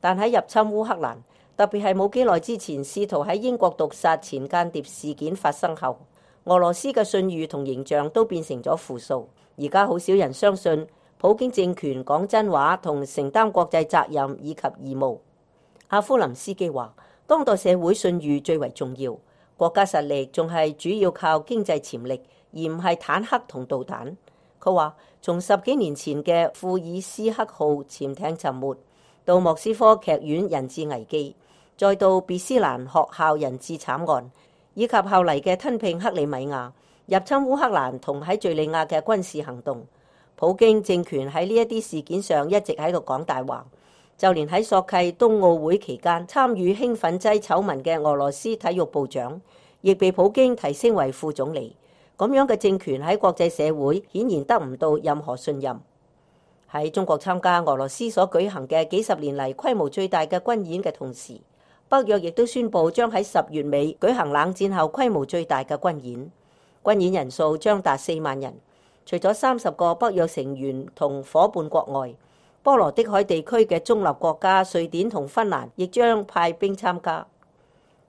但喺入侵烏克蘭，特別係冇幾耐之前試圖喺英國毒殺前間諜事件發生後，俄羅斯嘅信譽同形象都變成咗負數。而家好少人相信普京政權講真話同承擔國際責任以及義務。阿夫林斯基話：當代社會信譽最為重要，國家實力仲係主要靠經濟潛力，而唔係坦克同導彈。佢話：從10幾年前嘅庫爾斯克號潛艇沉沒，到莫斯科劇院人質危機，再到別斯蘭學校人質慘案，以及後嚟嘅吞併克里米亞、入侵烏克蘭同喺敘利亞嘅軍事行動，普京政權喺呢一啲事件上一直喺度講大話。就連喺索契冬奧會期間參與興奮劑醜聞嘅俄羅斯體育部長，亦被普京提升為副總理。咁樣嘅政權喺國際社會顯然得唔到任何信任。喺中國參加俄羅斯所舉行嘅幾十年嚟規模最大嘅軍演嘅同時，北約亦都宣布將喺10月尾舉行冷戰後規模最大嘅軍演。軍演人數將達4萬人，除咗30個北約成員同夥伴國外，波羅的海地區嘅中立國家瑞典同芬蘭亦將派兵參加。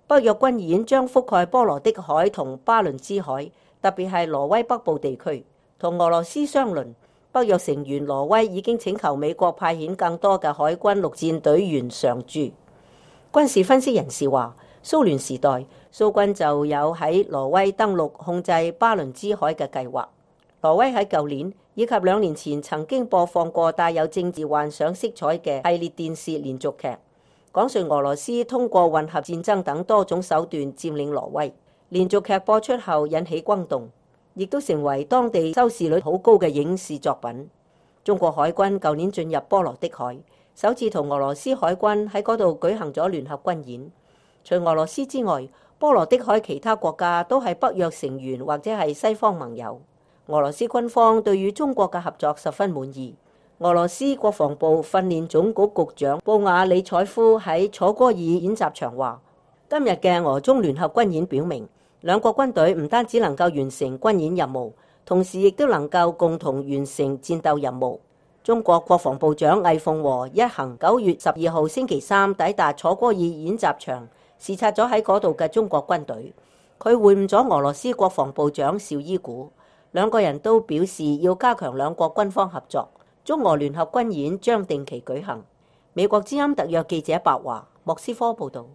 北約軍演將覆蓋波羅的海同巴倫支海，特別係挪威北部地區。同俄羅斯相鄰，北約成員挪威已經請求美國派遣更多嘅海軍陸戰隊員常駐。軍事分析人士話，蘇聯時代蘇軍就有喺挪威登陸控制巴倫支海嘅計劃。挪威喺舊年以及2年前曾經播放過帶有政治幻想色彩嘅系列電視連續劇，講述俄羅斯通過混合戰爭等多種手段佔領挪威。連續劇播出後引起轟動，亦都成為當地收視率好高嘅影視作品。中國海軍舊年進入波羅的海，首次同俄羅斯海軍喺嗰度舉行咗聯合軍演。除俄羅斯之外，波羅的海其他國家都係北約成員或者係西方盟友。俄羅斯軍方對於中國嘅合作十分滿意。俄羅斯國防部訓練總局局長布瓦里采夫喺楚戈爾演習場話：今日嘅俄中聯合軍演表明，兩國軍隊唔單止能夠完成軍演任務，同時亦都能夠共同完成戰鬥任務。中國國防部長魏鳳和一行9月12號星期三抵達楚戈爾演習場，視察咗喺嗰度嘅中國軍隊。佢會晤咗俄羅斯國防部長紹伊古。兩個人都表示要加強兩國軍方合作，中俄聯合軍演將定期舉行。美國之音特約記者白華，莫斯科報道。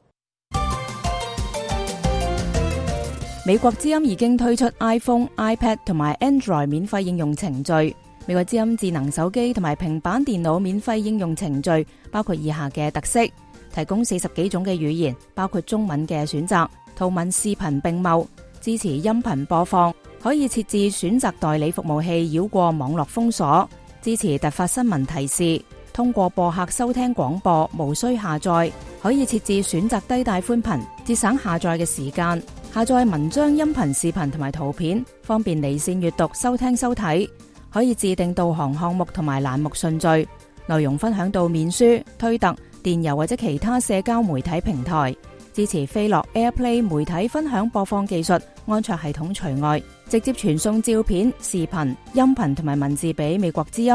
美國之音已經推出 iPhone、iPad 同埋 Android 免費應用程序。美國之音智能手機同埋平板電腦免費應用程序包括以下嘅特色：提供40幾種嘅語言，包括中文嘅選擇，圖文視頻並茂，支持音頻播放。可以設置選擇代理服務器繞過網絡封鎖，支持突發新聞提示，通過播客收聽廣播，無需下載。可以設置選擇低帶寬頻，節省下載嘅時間。下載文章、音頻、視頻同埋圖片，方便離線閱讀、收聽收睇。可以自定導航項目同埋欄目順序，內容分享到面書、推特、電郵或者其他社交媒體平台。支持飛樂 AirPlay 媒體分享播放技術，安卓系統除外，直接傳送照片、視頻、音頻同埋文字俾美國之音。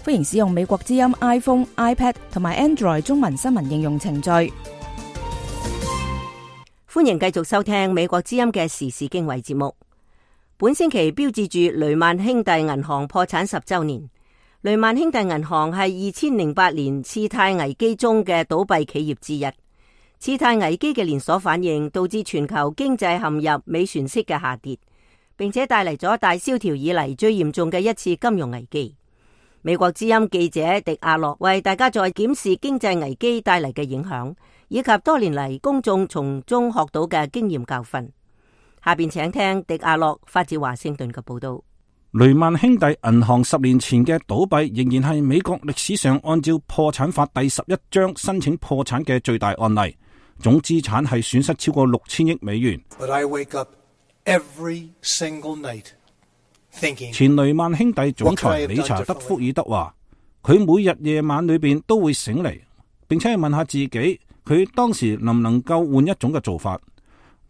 歡迎使用美國之音 iPhone、iPad 同埋 Android 中文新聞應用程序。歡迎繼續收聽美國之音嘅時事經緯節目。本星期標誌住雷曼兄弟銀行破產10週年。雷曼兄弟銀行係2008年次貸危機中嘅倒閉企業之一。次貸危機嘅連鎖反應導致全球經濟陷入尾船式嘅下跌，並且帶嚟咗大蕭條以嚟最嚴重嘅一次金融危機。美國之音記者迪亞洛為大家再檢視經濟危機帶嚟嘅影響，以及多年嚟公眾從中學到嘅經驗教訓。下邊請聽迪亞洛發自華盛頓嘅報道。雷曼兄弟銀行10年前嘅倒閉仍然係美國歷史上按照破產法第11章申請破產嘅最大案例。總資產係損失超過6000億美元。前雷曼兄弟總裁理查德·福爾德話，佢每日夜晚裏邊都會醒嚟，並且問下自己，佢當時能唔能夠換一種嘅做法。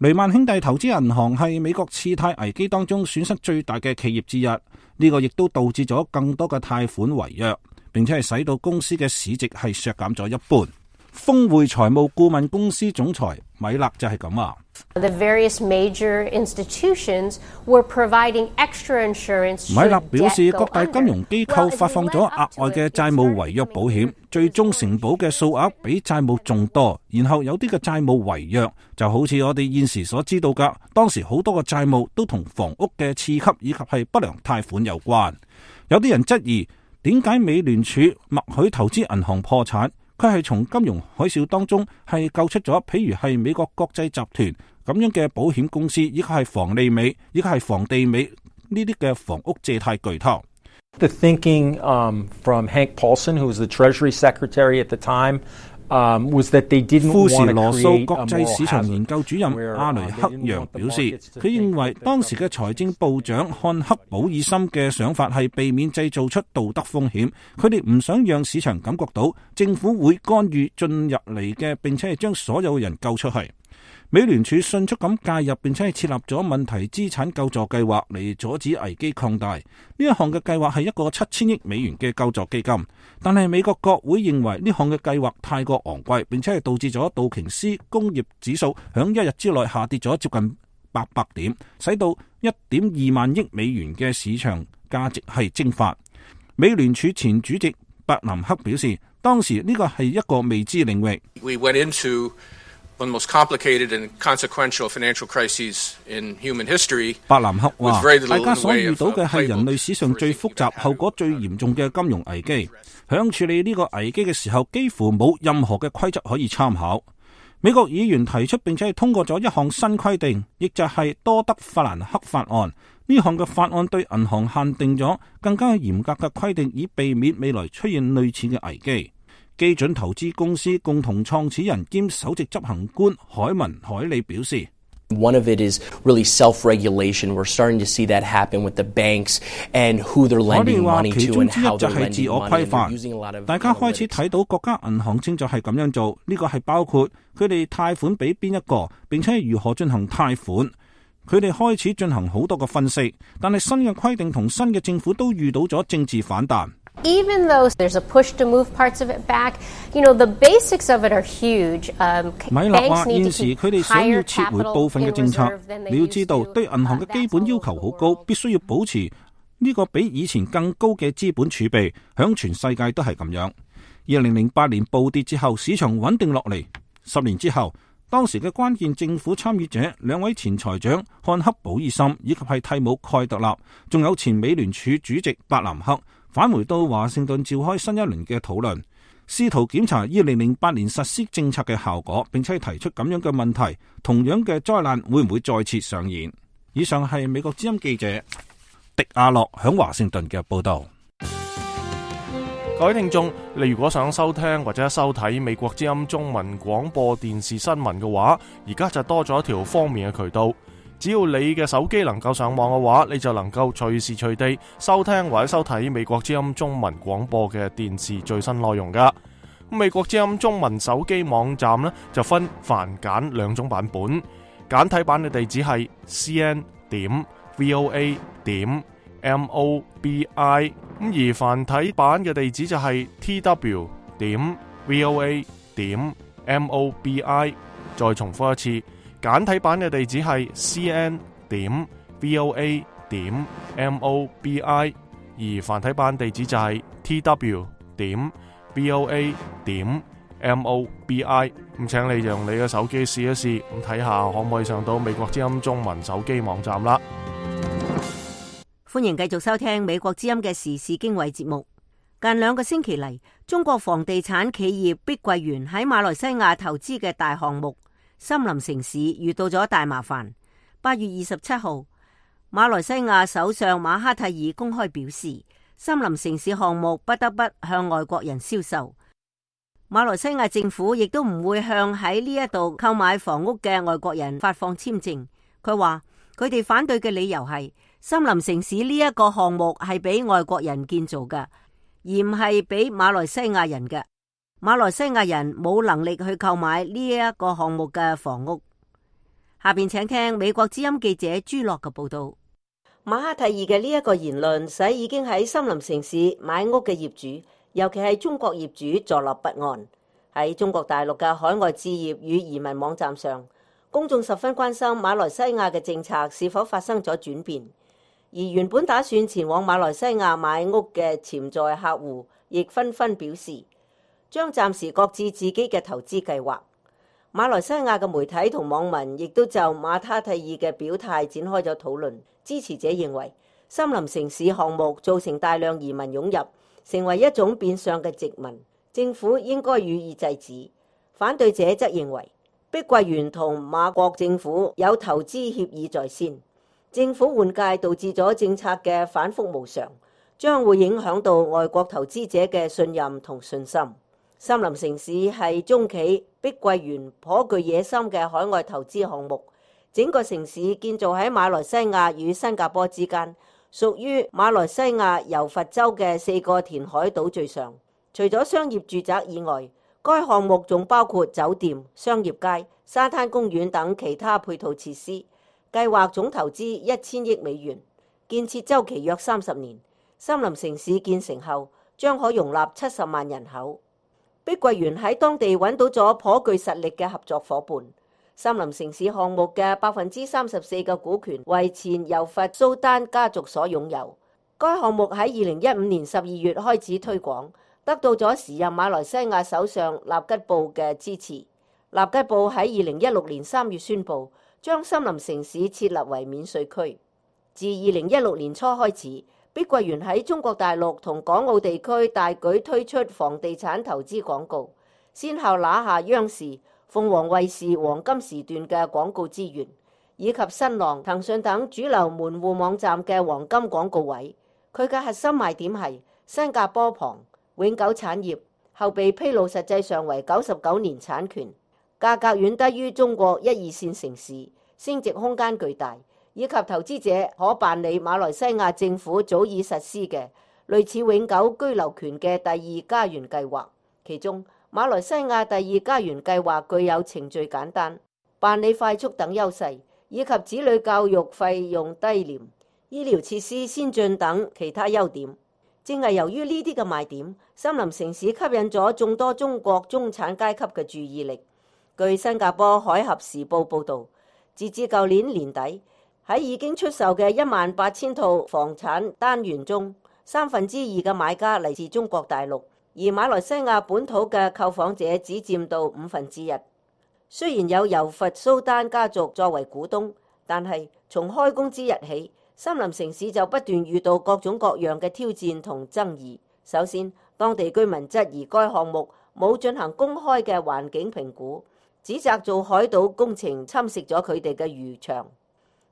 雷曼兄弟投資銀行係美國次貸危機當中損失最大嘅企業之一，呢個亦都導致咗更多嘅貸款違約，並且係使到公司嘅市值係削減咗一半。峰匯財務顧問公司總裁米勒就係咁話。The various major institutions were providing extra insurance. 米勒表示，各大金融機構發放咗額外嘅債務違約保險，最終承保嘅數額比債務仲多。然後有啲嘅債務違約，就好似我哋現時所知道㗎，當時好多個債務都同房屋嘅次級以及係不良貸款有關。有啲人質疑，點解美聯儲默許投資銀行破產？佢係從金融海嘯當中係救出咗，譬如係美國國際集團咁樣嘅保險公司，以及係房利美，以及係房地美呢啲嘅房屋借貸巨頭。The thinking from Hank Paulson, who was the Treasury Secretary at the time, was that they didn't want to create a moral hazard. 富時羅素國際市場研究主任阿雷克揚表示，佢認為當時嘅財政部長漢克保爾森嘅想法係避免製造出道德風險，佢哋唔想讓市場感覺到政府會干預進入嚟嘅，並且係將所有人救出去。美聯儲迅速咁介入，並且係設立咗問題資產救助計劃嚟阻止危機擴大。呢一項嘅計劃係一個7000億美元嘅救助基金，但係美國國會認為呢項嘅計劃太過昂貴，並且係導致咗道瓊斯工業指數響一日之內下跌咗接近800點，使到1.2萬億美元嘅市場價值係蒸發。美聯儲前主席伯南克表示，當時呢個係一個未知領域。We went into one of the most complicated and consequential financial crises in human history. 伯南克話，大家所遇到嘅係人類史上最複雜、後果最嚴重嘅金融危機。響處理呢個危機嘅時候，幾乎冇任何嘅規則可以參考。美國議員提出並且係通過咗一項新規定，亦就係多德法蘭克法案。呢項嘅法案對銀行限定咗更加嚴格嘅規定，以避免未來出現類似嘅危機。基準投資公司共同創始人兼首席執行官海文海利表示 One of it is really self-regulation. We're starting to see that happen with the banks and who they're lending money to and how they're lending money. And using a lot of 大家開始睇到國家銀行正在係咁樣做，呢個係包括佢哋貸款俾邊一個，並且係如何進行貸款。佢哋開始進行好多個分析，但係新嘅規定同新嘅政府都遇到咗政治反彈。Even though there's a push to move parts of it back, the basics of it are huge. 米勒話現時佢哋想要撤回部分嘅政策，你要知道對銀行嘅基本要求好高，必須要保持呢個比以前更高嘅資本儲備，響全世界都係咁樣。2008年暴跌之後，市場穩定落嚟。10年之後，當時嘅關鍵政府參與者2位前財長漢克保爾森以及係蒂姆蓋特納，仲有前美聯儲主席伯南克，返回到華盛頓召開新一輪嘅討論，試圖檢查2008年實施政策嘅效果，並且提出咁樣嘅問題，同樣嘅災難會唔會再次上演？以上係美國之音記者迪亞洛響華盛頓嘅報道。各位聽眾，你如果想收聽或者收睇美國之音中文廣播電視新聞嘅話，而家就多咗一條方便嘅渠道。只要你嘅手機能夠上網嘅話，你就能夠隨時隨地收聽或者收睇美國之音中文廣播嘅電視最新內容噶。美國之音中文手機網站呢，就分繁簡兩種版本，簡體版嘅地址係 cn.voa.mobi， 而繁體版嘅地址就係 tw.voa.mobi。 再重複一次，簡體版嘅地址係 cn.voa.mobi， 而繁體版地址就係 tw.voa.mobi。 咁請你用你嘅手機試一試，咁睇下可唔可以上到美國之音中文手機網站啦。歡迎繼續收聽美國之音嘅時事經緯節目。近2個星期嚟，中國房地產企業碧桂園喺馬來西亞投資嘅大項目森林城市遇到咗大麻煩。8月27號，馬來西亞首相馬哈蒂爾公開表示，森林城市項目不得不向外國人銷售。馬來西亞政府亦都唔會向喺呢一度購買房屋嘅外國人發放簽證。佢話佢哋反對嘅理由係森林城市呢一個項目係俾外國人建造嘅，而唔係俾馬來西亞人嘅。馬來西亞人冇能力去購買呢一個項目嘅房屋。下邊請聽美國之音記者朱樂嘅報道。馬哈蒂爾嘅呢一個言論，使已經喺森林城市買屋嘅業主，尤其係中國業主坐立不安。喺中國大陸嘅海外置業與移民網站上，公眾十分關心馬來西亞嘅政策是否發生咗轉變。而原本打算前往馬來西亞買屋嘅潛在客戶，亦紛紛表示將暫時擱置自己嘅投資計劃。馬來西亞嘅媒體同網民亦都就馬哈蒂爾嘅表態展開咗討論。支持者認為森林城市項目造成大量移民湧入，成為一種變相嘅殖民，政府應該予以制止。反對者則認為碧桂園同馬國政府有投資協議在先，政府換屆導致咗政策嘅反覆無常，將會影響到外國投資者嘅信任同信心。森林城市係中企碧桂園頗具野心嘅海外投資項目，整個城市建造喺馬來西亞與新加坡之間，屬於馬來西亞柔佛州嘅4個填海島嶼上。除咗商業住宅以外，該項目仲包括酒店、商業街、沙灘公園等其他配套設施。計劃總投資1000億美元，建設週期約30年。森林城市建成後，將可容納70萬人口。碧桂園喺當地揾到咗頗具實力嘅合作夥伴。森林城市項目嘅34%嘅股權為前柔佛蘇丹家族所擁有。該項目喺2015年12月開始推廣，得到咗時任馬來西亞首相納吉布嘅支持。納吉布喺2016年3月宣布將森林城市設立為免稅區。自2016年初開始，碧桂園喺中國大陸同港澳地區大舉推出房地產投資廣告，先後拿下央視、鳳凰衛視黃金時段嘅廣告資源，以及新浪、騰訊等主流門戶網站嘅黃金廣告位。佢嘅核心賣點係新加坡旁永久產業，後被披露實際上為99年產權，價格遠低於中國1、2線城市，升值空間巨大，以及投資者可辦理馬來西亞政府早已實施嘅類似永久居留權嘅第二家園計劃。其中馬來西亞第二家園計劃具有程序簡單、辦理快速等優勢，以及子女教育費用低廉、醫療設施先進等其他優點。正係由於呢啲嘅賣點，森林城市吸引咗眾多中國中產階級嘅注意力。據新加坡海峽時報報導，截至舊年年底，喺已經出售嘅18000套房產單元中，2/3嘅買家嚟自中國大陸，而馬來西亞本土嘅購房者只佔到1/5。雖然有柔佛蘇丹家族作為股東，但係從開工之日起，森林城市就不斷遇到各種各樣嘅挑戰同爭議。首先，當地居民質疑該項目冇進行公開嘅環境評估，指責做海島工程侵蝕咗佢哋嘅漁場。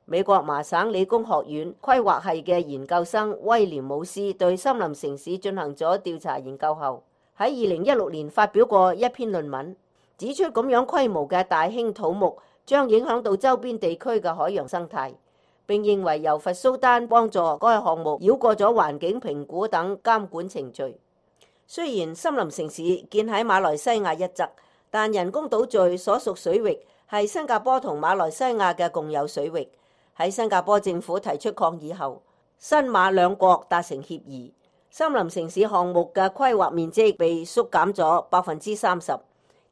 美國麻省理工學院規劃系嘅研究生威廉姆斯對森林城市進行咗調查研究後，喺2016年發表過一篇論文，指出咁樣規模嘅大興土木將影響到周邊地區嘅海洋生態，並認為柔佛蘇丹幫助該項目繞過咗環境評估等監管程序。雖然森林城市建喺馬來西亞一側，但人工島嶼所屬水域係新加坡同馬來西亞嘅共有水域。喺新加坡政府提出抗議後，新馬兩國達成協議，森林城市項目嘅規劃面積被縮減咗30%。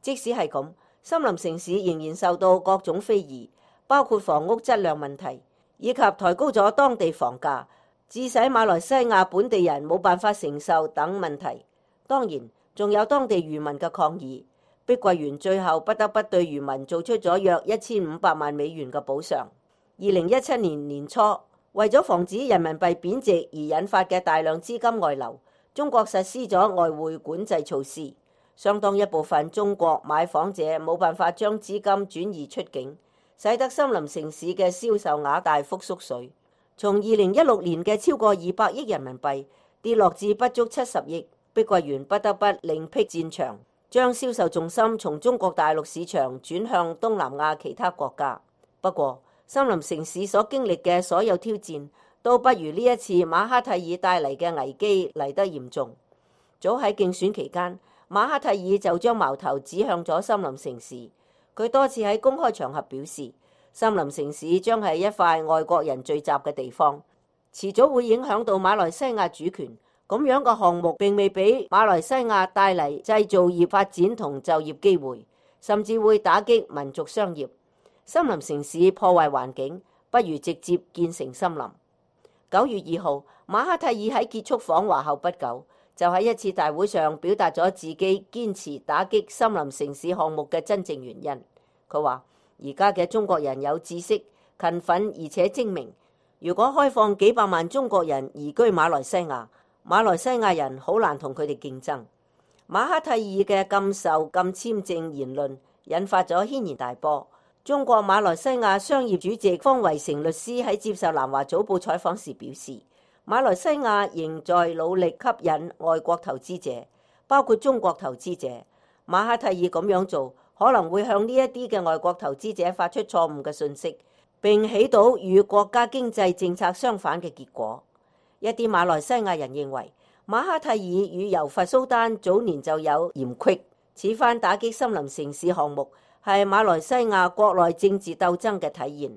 即使係咁，森林城市仍然受到各種非議，包括房屋質量問題，以及抬高咗當地房價，致使馬來西亞本地人冇辦法承受等問題。當然，仲有當地漁民嘅抗議。碧桂園最後不得不對漁民做出咗約1500萬美元嘅補償。2017年年初，為咗防止人民幣貶值而引發嘅大量資金外流，中國實施咗外匯管制措施，相當一部分中國買房者冇辦法將資金轉移出境，使得森林城市嘅銷售額大幅縮水，從2016年嘅超過200億人民幣跌落至不足70億。碧桂園不得不另闢戰場，將銷售重心從中國大陸市場轉向東南亞其他國家。不過，森林城市所經歷嘅所有挑戰，都不如呢一次馬哈蒂爾帶嚟嘅危機嚟得嚴重。早喺競選期間，馬哈蒂爾就將矛頭指向咗森林城市。佢多次喺公開場合表示，森林城市將係一塊外國人聚集嘅地方，遲早會影響到馬來西亞主權。咁樣嘅項目並未俾馬來西亞帶嚟製造業發展同就業機會，甚至會打擊民族商業。森林城市破壞環境，不如直接建成森林。9月2號，馬哈蒂爾喺結束訪華後不久，就喺一次大會上表達咗自己堅持打擊森林城市項目嘅真正原因。佢話：而家嘅中國人有知識、勤奮而且精明。如果開放幾百萬中國人移居馬來西亞，馬來西亞人好難同佢哋競爭。馬哈蒂爾嘅禁售禁簽證言論引發咗軒然大波。中國馬來西亞商業主席方維成律師喺接受南華早報採訪時表示，馬來西亞仍在努力吸引外國投資者，包括中國投資者。馬哈蒂爾咁樣做可能會向呢一啲嘅外國投資者發出錯誤嘅信息，並起到與國家經濟政策相反嘅結果。一啲馬來西亞人認為馬哈蒂爾與柔佛蘇丹早年就有嫌隙，此番打擊森林城市項目係馬來西亞國內政治鬥爭嘅體現。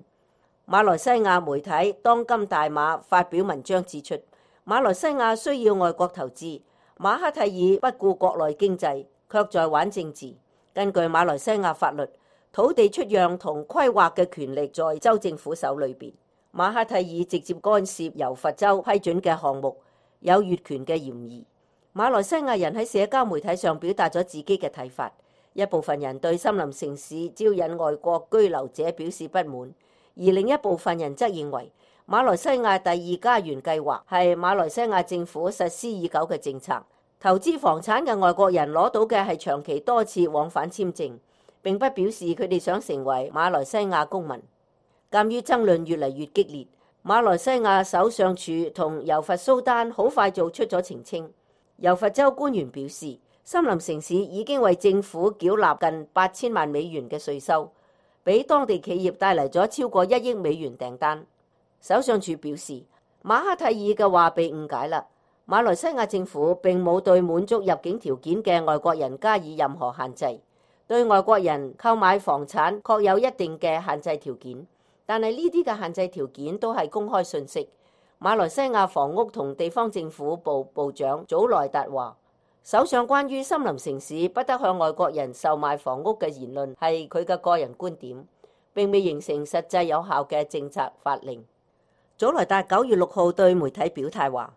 馬來西亞媒體當今大馬發表文章指出，馬來西亞需要外國投資，馬哈蒂爾不顧國內經濟，卻在玩政治。根據馬來西亞法律，土地出讓同規劃嘅權力在州政府手裏邊。馬哈蒂爾直接干涉柔佛州批准嘅項目，有越權嘅嫌疑。馬來西亞人喺社交媒體上表達咗自己嘅睇法。一部分人對森林城市招引外國居留者表示不滿，而另一部分人則認為馬來西亞第二家園計劃係馬來西亞政府實施已久嘅政策。投資房產嘅外國人攞到嘅係長期多次往返簽證，並不表示佢哋想成為馬來西亞公民。鑑於爭論越嚟越激烈，馬來西亞首相署同柔佛蘇丹好快做出咗澄清。柔佛州官員表示，森林城市已經為政府繳納近8000萬美元嘅稅收，俾當地企業帶嚟咗超過1億美元訂單。首相署表示，馬哈蒂爾嘅話被誤解啦。馬來西亞政府並冇對滿足入境條件嘅外國人加以任何限制，對外國人購買房產確有一定嘅限制條件，但係呢啲嘅限制條件都係公開信息。馬來西亞房屋同地方政府部部長祖萊達話，首相關於森林城市不得向外國人售賣房屋嘅言論係佢嘅個人觀點，並未形成實際有效嘅政策法令。祖萊達9月6號對媒體表態話，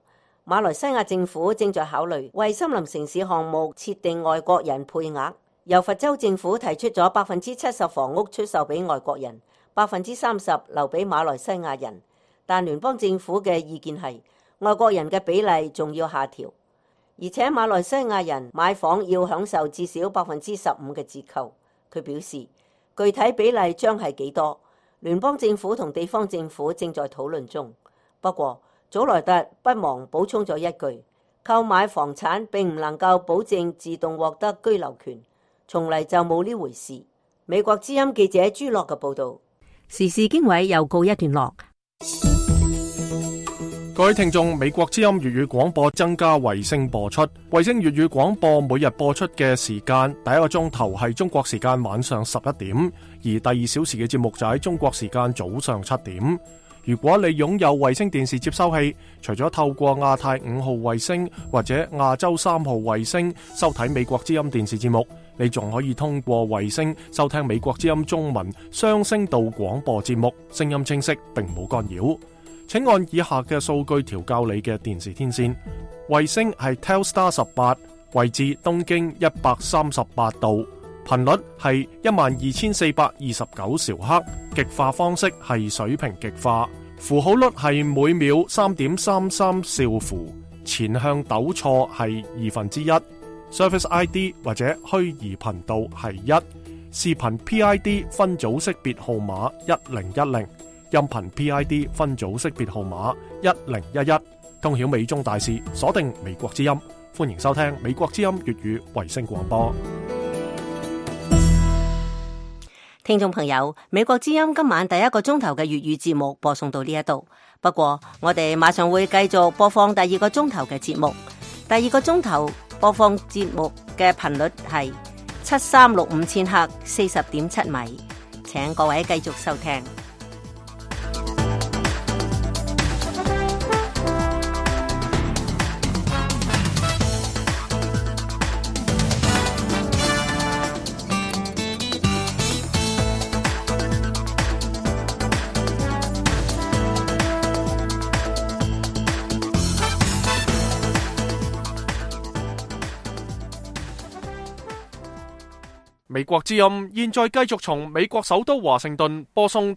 馬來西亞政府正在考慮為森林城市項目設定外國人配額。柔佛州政府提出咗70%房屋出售俾外國人，30%留俾馬來西亞人，但聯邦政府嘅意見係外國人嘅比例仲要下調，而且馬來西亞人買房要享受至少15%嘅折扣。佢表示，具體比例將係幾多，聯邦政府同地方政府正在討論中。不過，祖萊特不忘補充咗一句，購買房產並唔能夠保證自動獲得居留權，從嚟就冇呢回事。美國之音記者朱樂嘅報道。時事經緯又告一段落。各位聽眾，美國之音粵語廣播增加衛星播出，衛星粵語廣播每日播出嘅時間，第一個鐘頭係中國時間晚上11點，而第2小時嘅節目就喺中國時間早上7點。如果你擁有衛星電視接收器，除咗透過亞太5號衛星或者亞洲3號衛星收睇美國之音電視節目，你仲可以通過衛星收聽美國之音中文雙聲道廣播節目，聲音清晰並冇干擾。請按以下嘅數據調校你嘅電視天線。衛星係 Telstar 18，位置東經138度，頻率係12429兆赫，極化方式係水平極化，符號率係每秒 3.33 兆符，前向糾錯係1/2，Service ID 或者虛擬頻道係1，視頻 PID 分組識別號碼1010，音頻 PID 分組識別號碼1011，通曉美中大事，鎖定美國之音，歡迎收聽美國之音粵語衛星廣播。聽眾朋友，美國之音今晚第一個鐘頭嘅粵語節目播送到呢一度，不過我哋馬上會繼續播放第二個鐘頭嘅節目。第二個鐘頭播放節目嘅頻率係7365千赫，40.7米。請各位繼續收聽。美國之音現在繼續從美國首都華盛頓播送